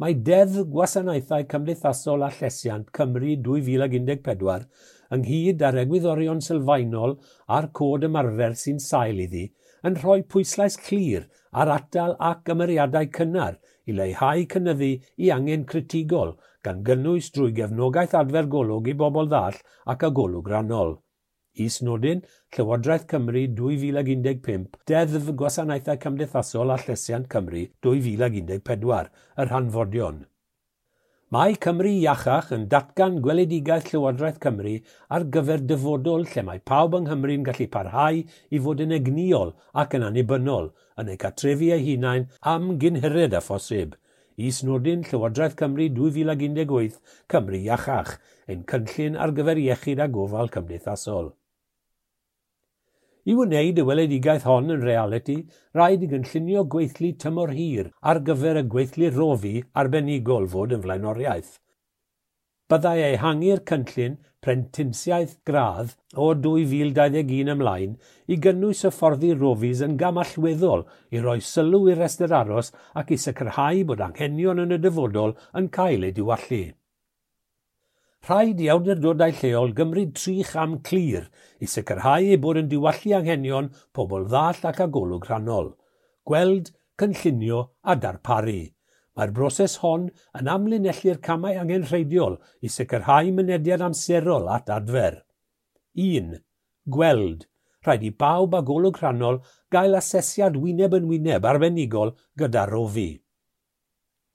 Mae Deddf Gwasanaethau Cymdeithasol a Llesiant Cymru 2014 ynghyd â'r egwyddorion sylfaenol a'r cod ymarfer sy'n sail iddi yn rhoi pwyslais clir ar atal ac ymyriadau cynnar i leihau cynyddu i angen critigol, gan gynnwys drwy gefnogaeth adfer golwg i bobl ddall ac â golwg rannol. Is-nodyn, Llywodraeth Cymru 2015, Deddf Gwasanaethau Cymdeithasol a Llesiant Cymru 2014, yr hanfodion. Mae Cymru Iachach yn datgan gweledigaeth Llywodraeth Cymru ar gyfer dyfodol lle mae pawb yng Nghymru'n gallu parhau i fod yn egnïol ac yn annibynnol yn eu cartrefi eu hunain am gyn hired â phosib. Is-nodyn Llywodraeth Cymru 2018, Cymru Iachach, ein cynllun ar gyfer iechyd a gofal cymdeithasol. I wneud y weledigaeth hon yn realiti, rhaid i gynllunio gweithlu tymor hir ar gyfer y gweithlu rofi arbenigol fod yn flaenoriaeth. Byddai ehangu'r cynllun prentisiaeth gradd o 2021 ymlaen i gynnwys hyfforddi rofis yn gam allweddol i roi sylw i'r rhestr aros ac i sicrhau bod anghenion yn y dyfodol yn cael eu diwallu. Rhaid i awdurdodau lleol gymryd tri cham clir i sicrhau eu bod yn diwallu anghenion pobl ddall ac â golwg rhannol: gweld, cynllunio a darparu. Mae'r broses hon yn amlinellu'r camau angenrheidiol i sicrhau mynediad amserol at adfer. 1. Gweld. Rhaid i bawb â golwg rhannol gael asesiad wyneb yn wyneb arbenigol gyda rofi.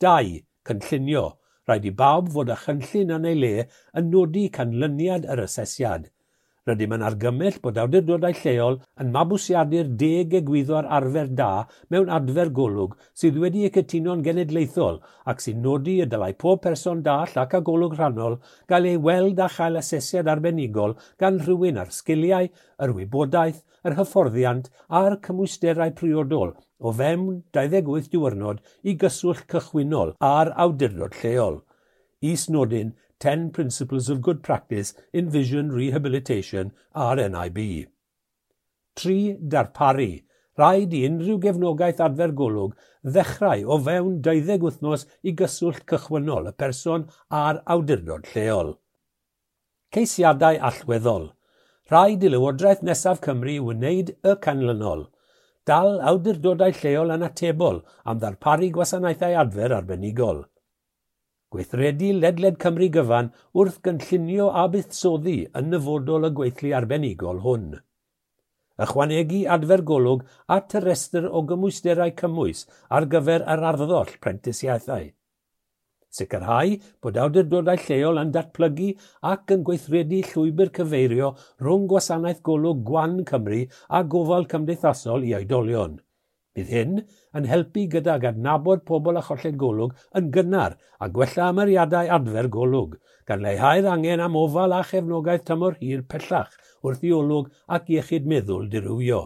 2. Cynllunio. Rhaid i bawb fod â chynllun yn ei le yn nodi canlyniad yr asesiad. Rydym yn argymell bod awdurdodau lleol yn mabwysiadu'r 10 egwyddor arfer da mewn adfer golwg sydd wedi eu cytuno'n genedlaethol ac sy'n nodi y dylai pob person dall ac â golwg rhannol gael ei weld a chael asesiad arbenigol gan rhywun â'r sgiliau, yr wybodaeth, yr hyfforddiant a'r cymwysterau priodol o fewn 28 diwrnod i gyswllt cychwynnol â'r awdurdod lleol. Is-nodyn 10 Principles of Good Practice in Vision Rehabilitation RNIB. 3. Darparu. Rhaid i unrhyw gefnogaeth adfer golwg ddechrau o fewn 12 wythnos i gyswllt cychwynnol y person a'r awdurdod lleol. Ceisiadau allweddol. Rhaid i Lywodraeth nesaf Cymru wneud y canlynol: Dal awdurdodau lleol yn atebol am ddarparu gwasanaethau adfer arbenigol. Gweithredu ledled Cymru gyfan wrth gynllunio a buddsoddi yn nyfodol y gweithlu arbenigol hwn. Ychwanegu adfer golwg at y rhestr o gymwysterau cymwys ar gyfer yr arddoll prentisiaethau. Sicrhau bod awdurdodau lleol yn datblygu ac yn gweithredu llwybr cyfeirio rhwng gwasanaeth golwg gwan Cymru a gofal cymdeithasol i oedolion. Bydd hyn yn helpu gydag adnabod pobl â cholled golwg yn gynnar a gwella ymyriadau adfer golwg, gan leihau'r angen am ofal a chefnogaeth tymor hir pellach wrth i olwg ac iechyd meddwl dirywio.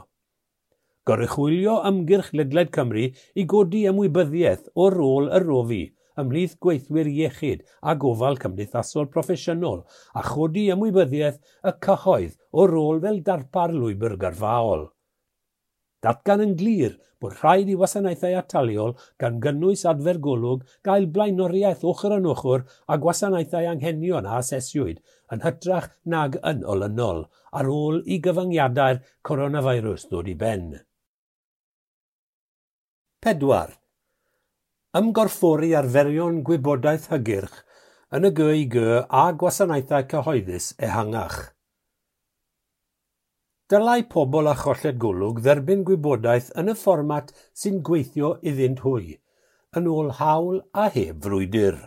Goruchwylio ymgyrch ledled Cymru i godi ymwybyddiaeth o rôl y rofi ymhlith gweithwyr iechyd a gofal cymdeithasol proffesiynol a chodi ymwybyddiaeth y cyhoedd o rôl fel darpar lwybr gyrfaol. Datgan yn glir bod rhaid i wasanaethau ataliol gan gynnwys adfer golwg gael blaenoriaeth ochr yn ochr â gwasanaethau anghenion a asesiwyd yn hytrach nag yn olynol ar ôl i gyfyngiadau'r coronavirus ddod i ben. 4. Ymgorffori arferion gwybodaeth hygyrch yn y GIG a gwasanaethau cyhoeddus ehangach. Dylai pobl â cholled golwg dderbyn gwybodaeth yn y fformat sy'n gweithio iddynt hwy, yn ôl hawl a heb frwydr.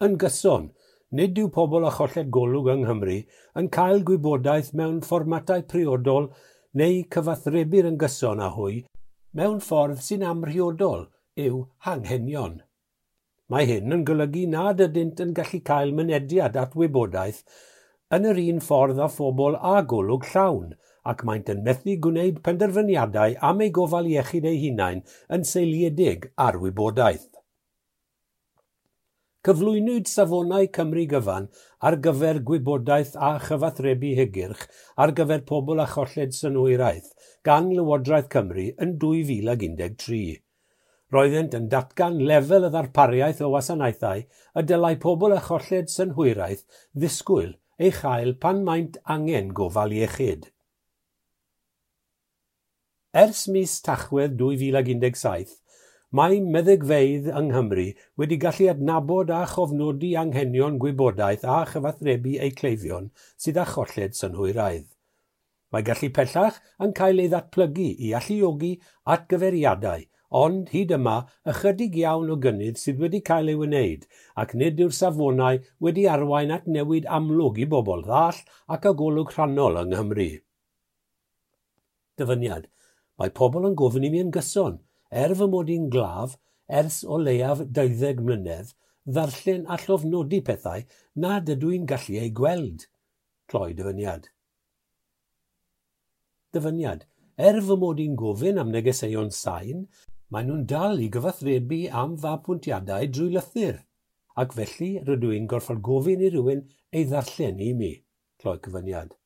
Yn gyson, Nid yw pobl â cholled golwg yng Nghymru yn cael gwybodaeth mewn fformatau priodol neu cyfathrebu'r yn gyson â hwy mewn ffordd sy'n amhriodol i'w hanghenion. Mae hyn yn golygu nad ydynt yn gallu cael mynediad at wybodaeth yn yr un ffordd â phobl â golwg llawn, ac maent yn methu gwneud penderfyniadau am eu gofal iechyd eu hunain yn seiliedig ar wybodaeth. Cyflwynwyd Safonau Cymru Gyfan ar gyfer gwybodaeth a chyfathrebu hygyrch ar gyfer pobl â cholled synhwyraidd gan Lywodraeth Cymru yn 2013. Roeddent yn datgan lefel y ddarpariaeth o wasanaethau y dylai pobl â cholled synhwyraidd ddisgwyl ei chael pan maent angen gofal iechyd. Ers mis Tachwedd 2017, mae meddygfeydd yng Nghymru wedi gallu adnabod a chofnodi anghenion gwybodaeth a chyfathrebu eu cleifion sydd â cholled synhwyraidd. Mae gallu pellach yn cael ei ddatblygu i alluogi atgyfeiriadau, ond hyd yma ychydig iawn o gynnydd sydd wedi cael ei wneud, ac nid yw'r safonau wedi arwain at newid amlwg i bobl ddall ac â golwg rhannol yng Nghymru. Dyfyniad. Mae pobl yn gofyn i mi yn gyson, er fy mod i'n glaf, ers o leiaf 20 mlynedd, ddarllen a llofnodi pethau nad ydw i'n gallu eu gweld. Cloi dyfyniad. Dyfyniad. Er fy mod i'n gofyn am negeseuon sain, maen nhw'n dal i gyfathrebu am fy apwyntiadau drwy lythyr, ac felly rydw i'n gorfod gofyn i rywun ei ddarllen i mi. Cloi cyfyniad.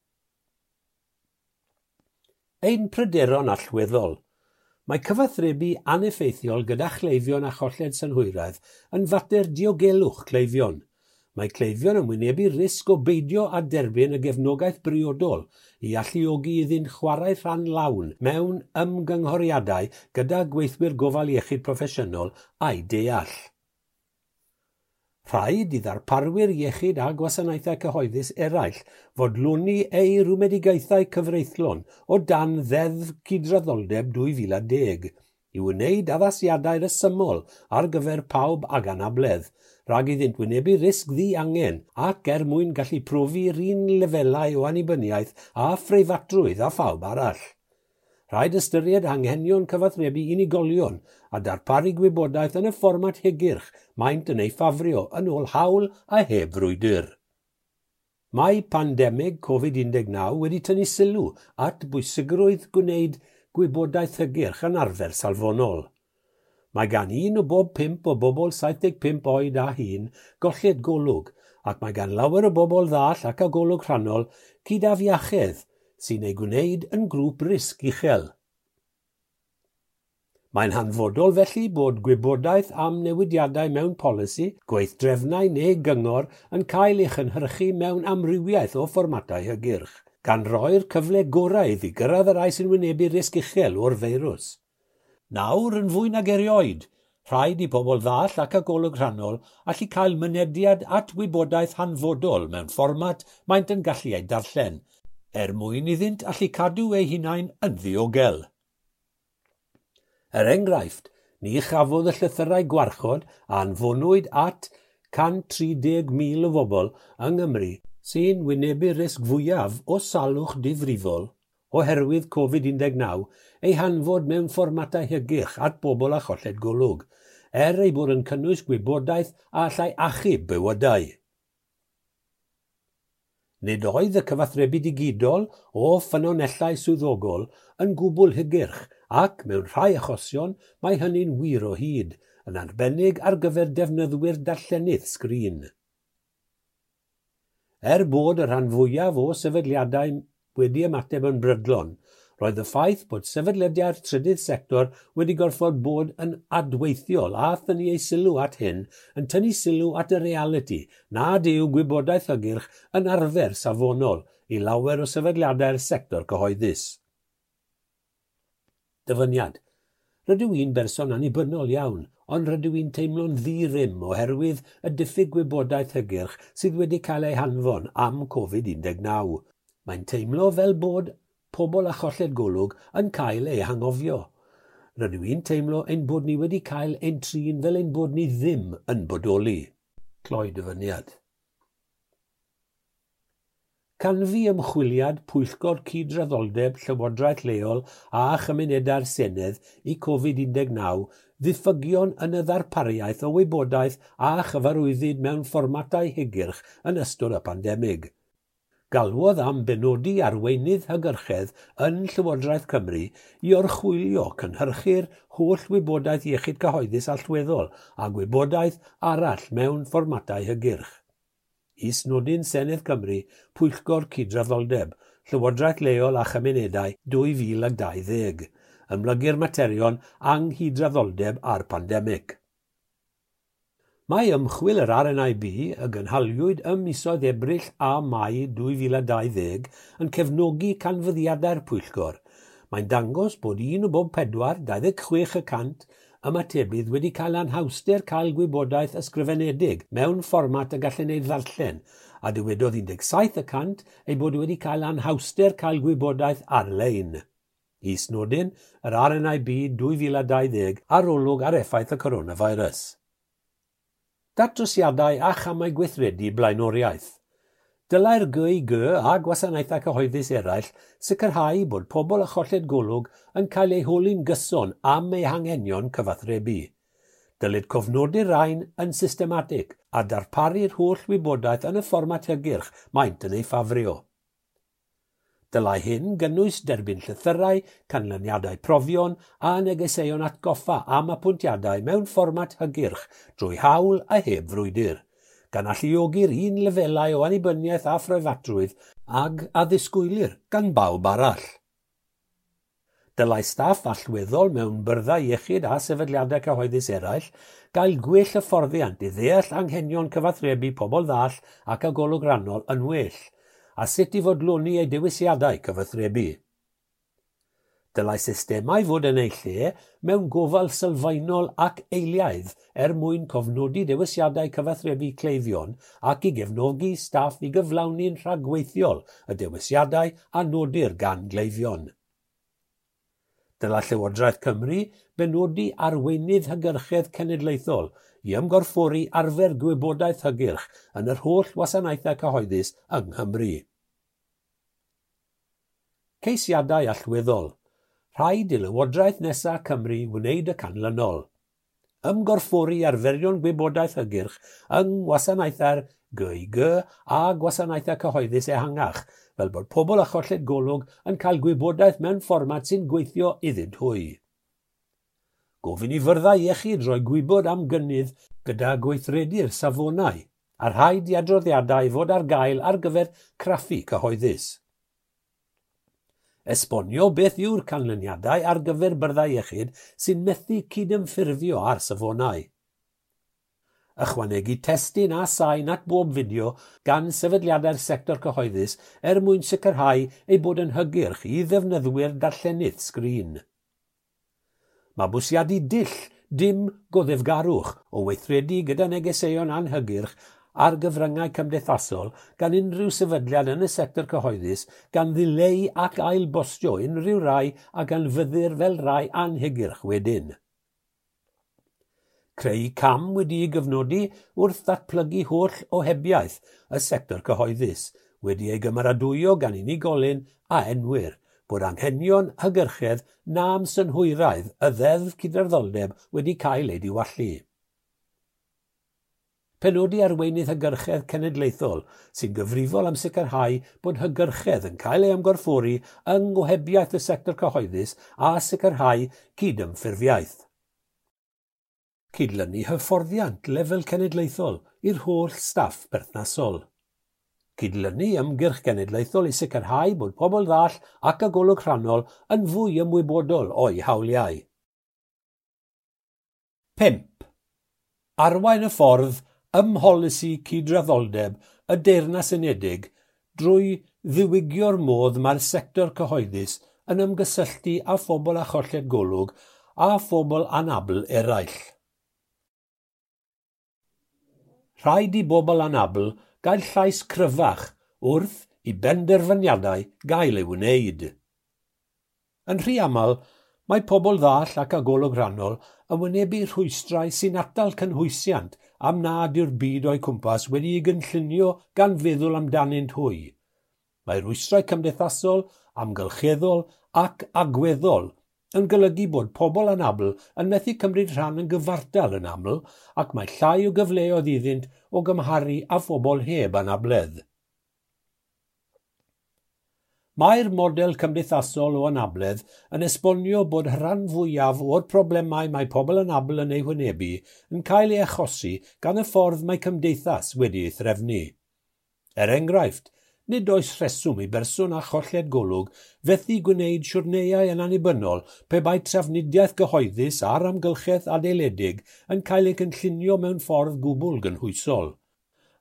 Ein pryderon allweddol. Mae cyfathrebu aneffeithiol gyda chleifion a cholled synhwyraidd yn fater diogelwch cleifion. Mae cleifion yn wynebu risg o beidio â derbyn y gefnogaeth briodol i alluogi iddynt chwarae rhan lawn mewn ymgynghoriadau gyda gweithwyr gofal iechyd proffesiynol a'u deall. Rhaid i ddarparwyr iechyd a gwasanaethau cyhoeddus eraill fodloni eu rhwymedigaethau cyfreithlon o dan Ddeddf Cydraddoldeb 2010 i wneud addasiadau rhesymol ar gyfer pawb ag anabledd, rhag iddynt wynebu risg ddiangen ac er mwyn gallu profi'r un lefelau o annibyniaeth a phreifatrwydd â phawb arall. Rhaid ystyried anghenion cyfathrebu unigolion a darparu gwybodaeth yn y fformat hygyrch maent yn ei ffafrio yn ôl hawl a heb frwydr. Mae pandemig Covid-19 wedi tynnu sylw at bwysigrwydd gwneud gwybodaeth hygyrch yn arfer safonol. Mae gan 1 o bob 5 o bobl 75 oed a hŷn golled golwg, ac mae gan lawer o bobl ddall ac â golwg rhannol cydafiachedd sy'n ei gwneud yn grŵp risg uchel. Mae'n hanfodol felly bod gwybodaeth am newidiadau mewn polisi, gweithdrefnau neu gyngor yn cael ei chynhyrchu mewn amrywiaeth o fformatau hygyrch, gan roi'r cyfle gorau iddi gyrraedd y rhai sy'n wynebu risg uchel o'r feirws. Nawr yn fwy nag erioed, rhaid i bobl ddall ac â golwg rhannol allu cael mynediad at wybodaeth hanfodol mewn fformat maent yn gallu ei darllen, er mwyn iddynt allu cadw eu hunain yn ddiogel. Er enghraifft, ni chafodd y llythyrau gwarchod a anfonwyd at 130,000 o bobl yng Nghymru sy'n wynebu risg fwyaf o salwch difrifol oherwydd Covid-19 ei hanfod mewn fformatau hygyrch at bobl â cholled golwg, er ei bod yn cynnwys gwybodaeth a allai achub bywydau. Nid oedd y cyfathrebu digidol o ffynonellau swyddogol yn gwbl hygyrch ac, mewn rhai achosion, mae hynny'n wir o hyd, yn arbennig ar gyfer defnyddwyr darllenydd sgrin. Er bod y rhan fwyaf o sefydliadau wedi ymateb yn brydlon, roedd y ffaith bod sefydliadau'r trydydd sector wedi gorfod bod yn adweithiol a thynnu eu sylw at hyn yn tynnu sylw at y realiti nad yw gwybodaeth hygyrch yn arfer safonol i lawer o sefydliadau'r sector cyhoeddus. Dyfyniad. Rydw i'n berson annibynnol iawn, ond rydw i'n teimlo'n ddi-rym oherwydd y diffyg gwybodaeth hygyrch sydd wedi cael ei hanfon am Covid-19. Mae'n teimlo fel bod pobl â cholled golwg yn cael eu hanghofio. Rydw i'n teimlo ein bod ni wedi cael ein trin fel ein bod ni ddim yn bodoli. Cloi dyfyniad. Canfu ymchwiliad Pwyllgor Cydraddoldeb Llywodraeth Leol a Chymunedau'r Senedd i Covid-19 ddiffygion yn y ddarpariaeth o wybodaeth a chyfarwyddyd mewn fformatau hygyrch yn ystod y pandemig. Galwodd am benodi arweinydd hygyrchedd yn Llywodraeth Cymru i orchwylio cynhyrchu'r holl wybodaeth iechyd cyhoeddus allweddol a gwybodaeth arall mewn fformatau hygyrch. Is-nodyn Senedd Cymru, Pwyllgor Cydraddoldeb, Llywodraeth Leol a Chymunedau 2020, ymlygu'r materion anghydraddoldeb a'r pandemig. Mae ymchwil yr RNIB y gynhaliwyd ym misoedd Ebrill a Mai 2020 yn cefnogi canfyddiadau'r pwyllgor. Mae'n dangos bod 1 o bob 4, 26%, ymatebydd wedi cael anhawster cael gwybodaeth ysgrifenedig mewn fformat y gallen ei ddarllen, a dywedodd 17% ei bod wedi cael anhawster cael gwybodaeth ar-lein. Is-nodyn, yr RNIB 2020 arolwg ar effaith y coronavirus. Datrysiadau a chamau gweithredu blaenoriaeth. Dylai'r GIG a gwasanaethau cyhoeddus eraill sicrhau bod pobl â cholled golwg yn cael eu holi'n gyson am eu hanghenion cyfathrebu. Dylid cofnodi'r rhain yn systematig a darparu'r holl wybodaeth yn y fformat hygyrch maent yn ei ffafrio. Dylai hyn gynnwys derbyn llythyrau, canlyniadau profion a negeseuon atgoffa am apwyntiadau mewn fformat hygyrch drwy hawl a heb frwydr, gan alluogi'r un lefelau o annibyniaeth a phreifatrwydd ag a ddisgwylir gan bawb arall. Dylai staff allweddol mewn byrddau iechyd a sefydliadau cyhoeddus eraill gael gwell hyfforddiant i ddeall anghenion cyfathrebu pobl ddall ac â golwg rannol yn well, a sut i fodloni eu dewisiadau cyfathrebu. Dylai systemau fod yn eu lle mewn gofal sylfaenol ac eiliaidd er mwyn cofnodi dewisiadau cyfathrebu cleifion ac i gefnogi staff i gyflawni'n rhagweithiol y dewisiadau a nodir gan gleifion. Dylai Llywodraeth Cymru benodi arweinydd hygyrchedd cenedlaethol i ymgorffori arfer gwybodaeth hygyrch yn yr holl wasanaethau cyhoeddus yng Nghymru. Ceisiadau allweddol. Rhaid i Lywodraeth nesaf Cymru wneud y canlynol. Ymgorffori arferion gwybodaeth hygyrch yng ngwasanaethau'r GIG a gwasanaethau cyhoeddus ehangach, fel bod pobl â cholled golwg yn cael gwybodaeth mewn fformat sy'n gweithio iddynt hwy. Gofyn i fyrddau iechyd roi gwybod am gynnydd gyda gweithredu'r safonau, a rhaid i adroddiadau fod ar gael ar gyfer craffu cyhoeddus. Esbonio beth yw'r canlyniadau ar gyfer byrddau iechyd sy'n methu cydymffurfio â'r safonau. Ychwanegu testun a sain at bob fideo gan sefydliadau'r sector cyhoeddus er mwyn sicrhau ei bod yn hygyrch i ddefnyddwyr darllenydd sgrin. Mabwysiadu dull dim goddefgarwch o weithredu gyda negeseuon anhygyrch ar gyfryngau cymdeithasol gan unrhyw sefydliad yn y sector cyhoeddus gan ddileu ac ailbostio unrhyw rai a ganfyddir fel rai anhygyrch wedyn. Creu cam wedi'i gyfnodi wrth ddatblygu holl ohebiaeth y sector cyhoeddus, wedi ei gymeradwyo gan unigolyn a enwir, bod anghenion hygyrchedd nam synhwyraidd y Ddeddf Cydraddoldeb wedi cael ei diwallu. Penodi arweinydd hygyrchedd cenedlaethol sy'n gyfrifol am sicrhau bod hygyrchedd yn cael ei ymgorffori yng ngohebiaeth y sector cyhoeddus a sicrhau cydymffurfiaeth. Cydlynu hyfforddiant lefel cenedlaethol i'r holl staff berthnasol. Cydlynu ymgyrch genedlaethol i sicrhau bod pobl ddall ac â golwg rhannol yn fwy ymwybodol o'u hawliau. 5. Arwain y ffordd ym mholisi cydraddoldeb y Deyrnas Unedig drwy ddiwygio'r modd mae'r sector cyhoeddus yn ymgysylltu â phobl â cholled golwg a phobl anabl eraill. Rhaid i bobl anabl gael llais cryfach wrth i benderfyniadau gael eu wneud. Yn rhy aml, mae pobl ddall ac â golwg rhannol yn wynebu rhwystrau sy'n atal cynhwysiant am nad yw'r byd o'u cwmpas wedi'i gynllunio gan feddwl amdanynt hwy. Mae rwystrau cymdeithasol, amgylcheddol ac agweddol yn golygu bod pobl anabl yn methu cymryd rhan yn gyfartal yn aml ac mae llai o gyfleoedd iddynt o gymharu â phobl heb anabledd. Mae'r model cymdeithasol o anabledd yn esbonio bod rhan fwyaf o'r problemau mae pobl anabl yn eu hwynebu yn cael ei achosi gan y ffordd mae cymdeithas wedi ei threfnu. Er enghraifft, nid oes rheswm i berson â cholled golwg fethu gwneud siwrneiau yn annibynnol pe bai trafnidiaeth gyhoeddus a'r amgylchedd adeiledig yn cael ei cynllunio mewn ffordd gwbl gynhwysol.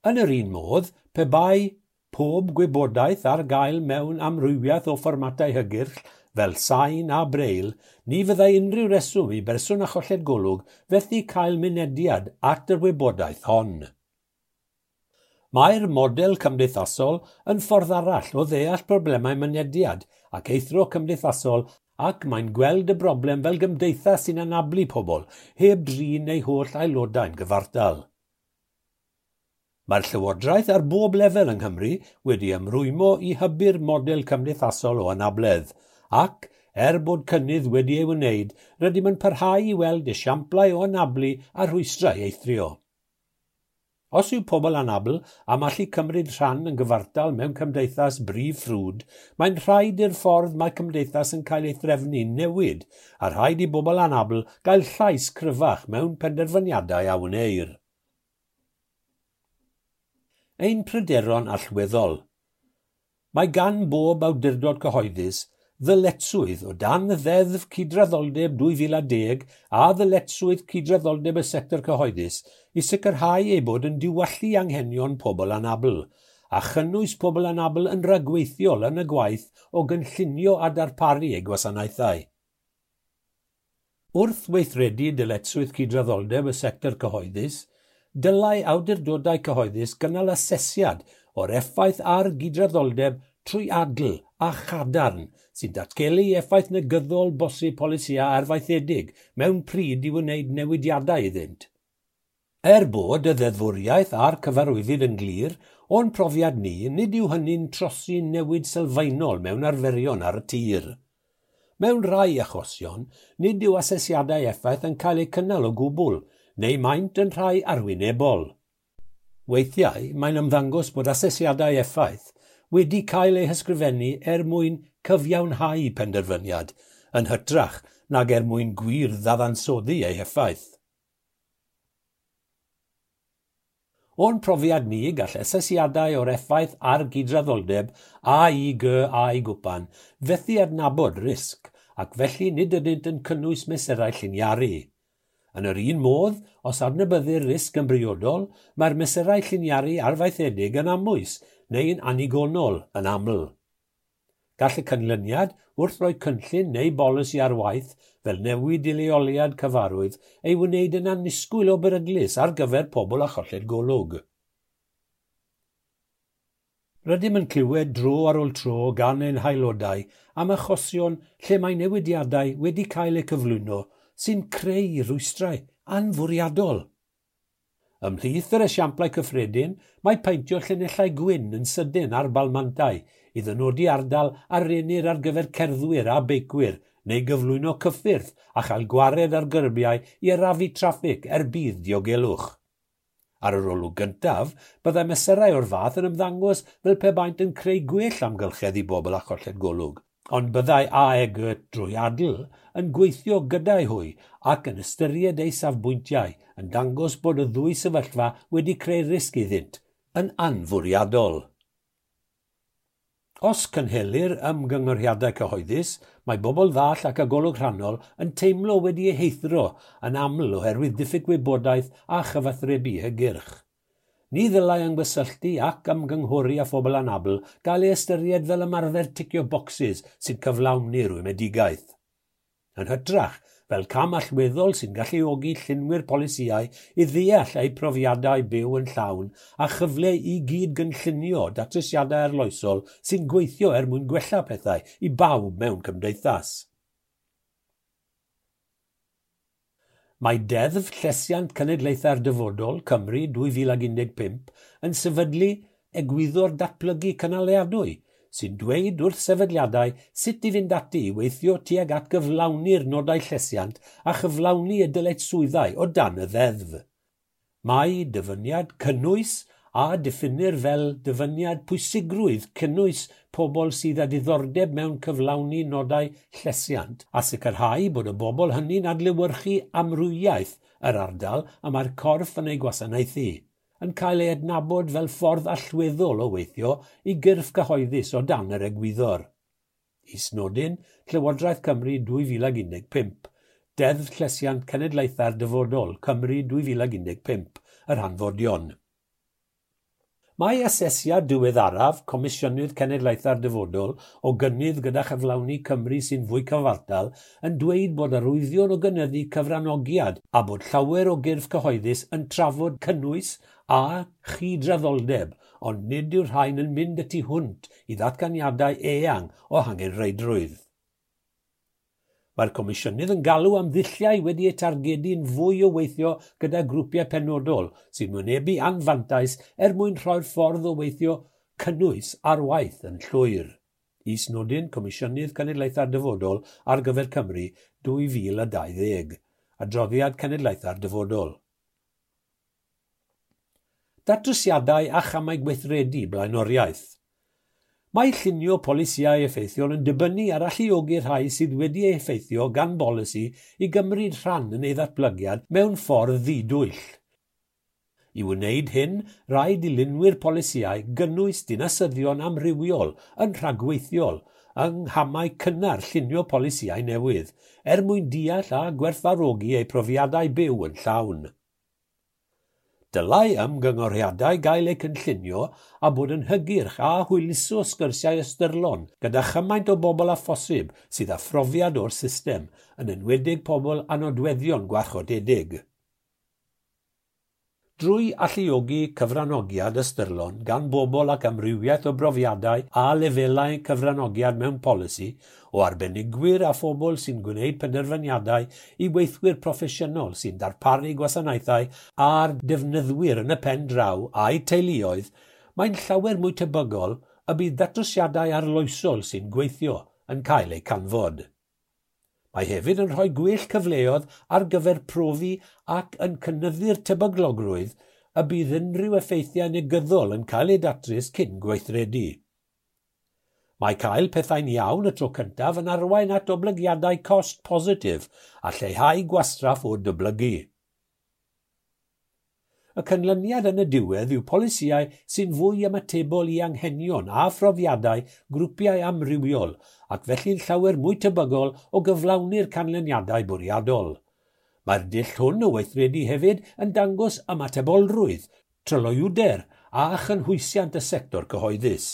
Yn yr un modd, pe bai pob gwybodaeth ar gael mewn amrywiaeth o fformatau hygyrch fel sain a braille, ni fyddai unrhyw reswm i berson â cholled golwg fethu cael mynediad at yr wybodaeth hon. Mae'r model cymdeithasol yn ffordd arall o ddeall problemau mynediad ac eithrio cymdeithasol ac mae'n gweld y broblem fel gymdeithas sy'n anablu pobl heb drin eu holl aelodau'n gyfartal. Mae'r Llywodraeth ar bob lefel yng Nghymru wedi ymrwymo i hybu'r model cymdeithasol o anabledd ac, er bod cynnydd wedi ei wneud, rydym yn parhau i weld esiamplau o anablu a rhwystrau eithrio. Os yw pobl anabl am allu cymryd rhan yn gyfartal mewn cymdeithas brif ffrwd, mae'n rhaid i'r ffordd mae cymdeithas yn cael ei threfnu newid, a rhaid i bobl anabl gael llais cryfach mewn penderfyniadau a wneir. Ein pryderon allweddol. Mae gan bob awdurdod cyhoeddus ddyletswydd o dan Ddeddf Cydraddoldeb 2010 a ddyletswydd cydraddoldeb y sector cyhoeddus i sicrhau ei bod yn diwallu anghenion pobl anabl, a chynnwys pobl anabl yn rhagweithiol yn y gwaith o gynllunio a darparu eu gwasanaethau. Wrth weithredu dyletswydd cydraddoldeb y sector cyhoeddus, dylai awdurdodau cyhoeddus gynnal asesiad o'r effaith ar gydraddoldeb trwy adl a chadarn sy'n datgelu effaith negyddol bosib polisïau arfaethedig mewn pryd i wneud newidiadau iddynt. Er bod y ddeddfwriaeth a'r cyfarwyddyd yn glir, o'n profiad ni, nid yw hynny'n trosi newid sylfaenol mewn arferion ar y tir. Mewn rhai achosion, nid yw asesiadau effaith yn cael eu cynnal o gwbl, neu maent yn rhai arwynebol. Weithiau, mae'n ymddangos bod asesiadau effaith wedi cael eu hysgrifennu er mwyn cyfiawnhau penderfyniad, yn hytrach nag er mwyn gwir ddadansoddi eu heffaith. O'n profiad ni, gall asesiadau o'r effaith ar gydraddoldeb A I G A I gwpan fethu adnabod risg, ac felly nid ydynt yn cynnwys mesurau lliniaru. Yn yr un modd, os adnabyddir risg yn briodol, mae'r mesurau lliniaru arfaethedig yn amwys neu'n annigonol yn aml. Gall y canlyniad wrth roi cynllun neu bolisi ar waith fel newid i leoliad cyfarwydd ei wneud yn annisgwyl o beryglus ar gyfer pobl â cholled golwg. Rydym yn clywed dro ar ôl tro gan ein haelodau am achosion lle mae newidiadau wedi cael eu cyflwyno sy'n creu rhwystrau anfwriadol. Ymhlith yr esiamplau cyffredin, mae paentio llinellau gwyn yn sydyn ar balmantau i ddynodi ardal a rennir ar gyfer cerddwyr a beicwyr neu gyflwyno cyffyrdd a chael gwared ar gyrbiau i arafu traffig er budd diogelwch. Ar yr olwg gyntaf, byddai mesurau o'r fath yn ymddangos fel pe baent yn creu gwell amgylchedd i bobl â cholled golwg, ond byddai AEG drwyadl yn gweithio gyda'i hwy ac yn ystyried eu safbwyntiau yn dangos bod y ddwy sefyllfa wedi creu risg iddynt, yn anfwriadol. Os cynhelir ymgynghoriadau cyhoeddus, mae bobl ddall ac â golwg rhannol yn teimlo wedi eu heithrio yn aml oherwydd diffyg gwybodaeth a chyfathrebu hygyrch. Ni ddylai ymgysylltu ac ymgynghori â phobl anabl gael ei ystyried fel ymarfer ticio bocsys sy'n cyflawni rwymedigaeth. Yn hytrach, fel cam allweddol sy'n galluogi llunwyr polisïau i ddeall eu profiadau byw yn llawn a chyfle i gyd gynllunio datrysiadau arloesol sy'n gweithio er mwyn gwella pethau i bawb mewn cymdeithas. Mae Deddf Llesiant Cenedlaethau'r Dyfodol Cymru 2015 yn sefydlu egwyddor datblygu cynaliadwy sy'n dweud wrth sefydliadau sut i fynd ati i weithio tuag at gyflawni'r nodau llesiant a chyflawni y dyletswyddau o dan y ddeddf. Mae dyfyniad cynnwys a diffinir fel dyfyniad pwysigrwydd cynnwys pobl sydd â diddordeb mewn cyflawni nodau llesiant a sicrhau bod y bobl hynny'n adlewyrchu amrywiaeth yr ardal y mae'r corff yn ei gwasanaethu, yn cael ei adnabod fel ffordd allweddol o weithio i gyrff cyhoeddus o dan yr egwyddor. Is-nodyn, Llywodraeth Cymru 2015, Deddf Llesiant Cenedlaethau'r Dyfodol, Cymru 2015, yr hanfodion. Mae asesiad diweddaraf Comisiynydd Cenedlaethau'r Dyfodol o gynnydd gyda chyflawni Cymru sy'n fwy cyfartal yn dweud bod arwyddion o gynyddu cyfranogiad a bod llawer o gyrff cyhoeddus yn trafod cynnwys a chydraddoldeb, ond nid yw'r rhain yn mynd y tu hwnt i ddatganiadau eang o hangenrheidrwydd. Mae'r Comisiynydd yn galw am ddulliau wedi eu targedu'n fwy o weithio gyda grwpiau penodol sy'n wynebu anfantais er mwyn rhoi'r ffordd o weithio cynnwys ar waith yn llwyr. Is-nodyn Comisiynydd Cenedlaethau'r Dyfodol ar gyfer Cymru 2020. Adroddiad Cenedlaethau'r Dyfodol. Datrysiadau a chamau gweithredu blaenoriaeth. Mae llunio polisïau effeithiol yn dibynnu ar alluogi'r rhai sydd wedi eu heffeithio gan bolisi i gymryd rhan yn ei ddatblygiad mewn ffordd ddidwyll. I wneud hyn, rhaid i lunwyr polisïau gynnwys dinasyddion amrywiol yn rhagweithiol yng nghamau cynnar llunio polisïau newydd, er mwyn deall a gwerthfawrogi eu profiadau byw yn llawn. Dylai ymgyngoriadau gael eu cynllunio a bod yn hygyrch a hwyluso sgyrsiau ystyrlon gyda chymaint o bobl â phosib sydd â phrofiad o'r system, yn enwedig pobl â nodweddion gwarchodedig. Drwy alluogi cyfranogiad ystyrlon gan bobl ac amrywiaeth o brofiadau a lefelau cyfranogiad mewn polisi, o arbenigwyr a phobl sy'n gwneud penderfyniadau i weithwyr proffesiynol sy'n darparu gwasanaethau a'r defnyddwyr yn y pen draw a'u teuluoedd, mae'n llawer mwy tebygol y bydd datrysiadau arloesol sy'n gweithio yn cael eu canfod. Mae hefyd yn rhoi gwell cyfleoedd ar gyfer profi ac yn cynyddu'r tebyglogrwydd y bydd unrhyw effeithiau negyddol yn cael eu datrys cyn gweithredu. Mae cael pethau'n iawn y tro cyntaf yn arwain at oblygiadau cost positif a lleihau gwastraff o dyblygu. Y canlyniad yn y diwedd yw polisïau sy'n fwy ymatebol i anghenion a phrofiadau grwpiau amrywiol ac felly'n llawer mwy tebygol o gyflawni'r canlyniadau bwriadol. Mae'r dull hwn o weithredu hefyd yn dangos ymatebolrwydd, tryloywder a chynhwysiant y sector cyhoeddus.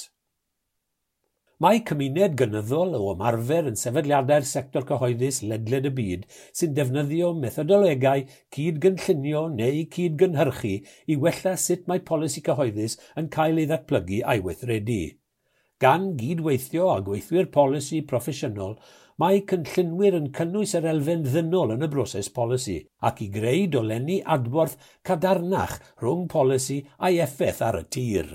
Mae cymuned gynyddol o ymarfer yn sefydliadau'r sector cyhoeddus ledled y byd sy'n defnyddio methodolegau cyd-gynllunio neu cyd-gynhyrchu i wella sut mae polisi cyhoeddus yn cael ei ddatblygu a'i weithredu. Gan gydweithio â gweithwyr polisi proffesiynol, mae cynllunwyr yn cynnwys yr elfen ddynol yn y broses polisi ac i greu dolenni adborth cadarnach rhwng polisi a'i effaith ar y tir.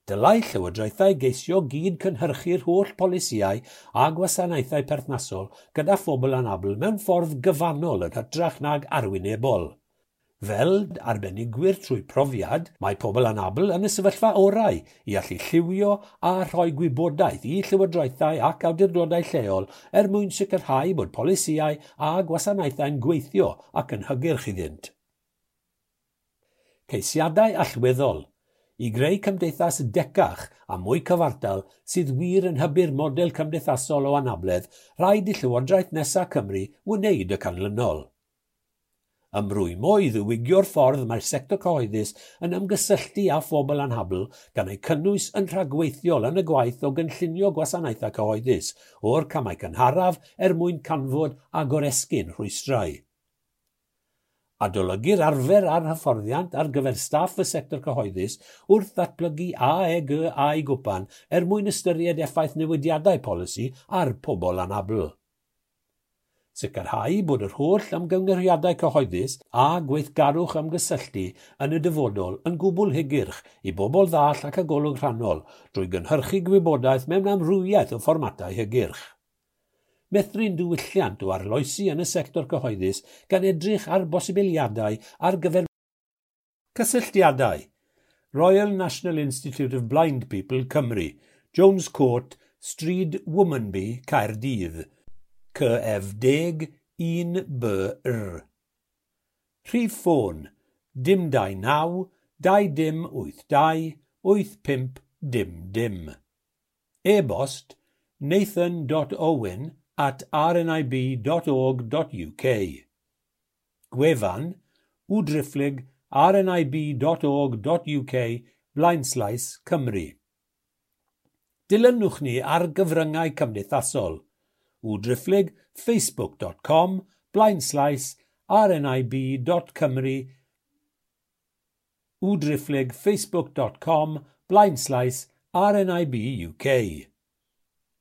Dylai llywodraethau geisio gyd-cynhyrchu'r holl polisïau a gwasanaethau perthnasol gyda phobl anabl mewn ffordd gyfannol yn hytrach nag arwynebol. Fel arbenigwyr trwy profiad, mae pobl anabl yn y sefyllfa orau i allu lliwio a rhoi gwybodaeth i llywodraethau ac awdurdodau lleol er mwyn sicrhau bod polisïau a gwasanaethau'n gweithio ac yn hygyrch iddynt. Ceisiadau allweddol i greu cymdeithas decach a mwy cyfartal sydd wir yn hybu'r model cymdeithasol o anabledd, rhaid i Llywodraeth nesaf Cymru wneud y canlynol. Ymrwymo i ddiwygio'r ffordd mae'r sector cyhoeddus yn ymgysylltu â phobl anabl gan eu cynnwys yn rhagweithiol yn y gwaith o gynllunio gwasanaethau cyhoeddus o'r camau cynharaf er mwyn canfod a goresgyn rhwystrau. Adolygu'r arfer a'r hyfforddiant ar gyfer staff y sector cyhoeddus wrth ddatblygu AEG a'i gwpan er mwyn ystyried effaith newidiadau polisi ar pobl anabl. Sicrhau bod yr holl ymgynghoriadau cyhoeddus a gweithgarwch ymgysylltu yn y dyfodol yn gwbl hygyrch i bobl ddall ac â golwg rhannol drwy gynhyrchu gwybodaeth mewn amrywiaeth o fformatau hygyrch. Meithrin diwylliant o arloesi yn y sector cyhoeddus gan edrych ar bosibiliadau ar gyfer cysylltiadau. Royal National Institute of Blind People Cymru, Jones Court, Stryd Womanby, Caerdydd. CF10 1BR. Rhif ffôn 029 2082 8500. E-bost nathan.owen@rnib.org.uk. Gwefan www.rnib.org.uk/Cymru. Dilynwch ni ar gyfryngau cymdeithasol www.facebook.com/rnib.cymru www.facebook.com/rnibuk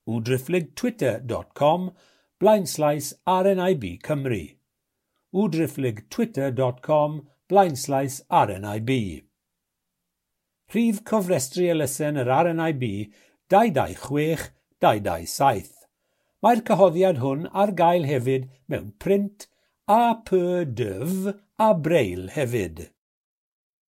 www.twitter.com/rnibcymru www.twitter.com/rnib. Rhif cofrestru elusen yr RNIB 226 227. Mae'r cyhoeddiad hwn ar gael hefyd mewn print, A P D F a Braille hefyd.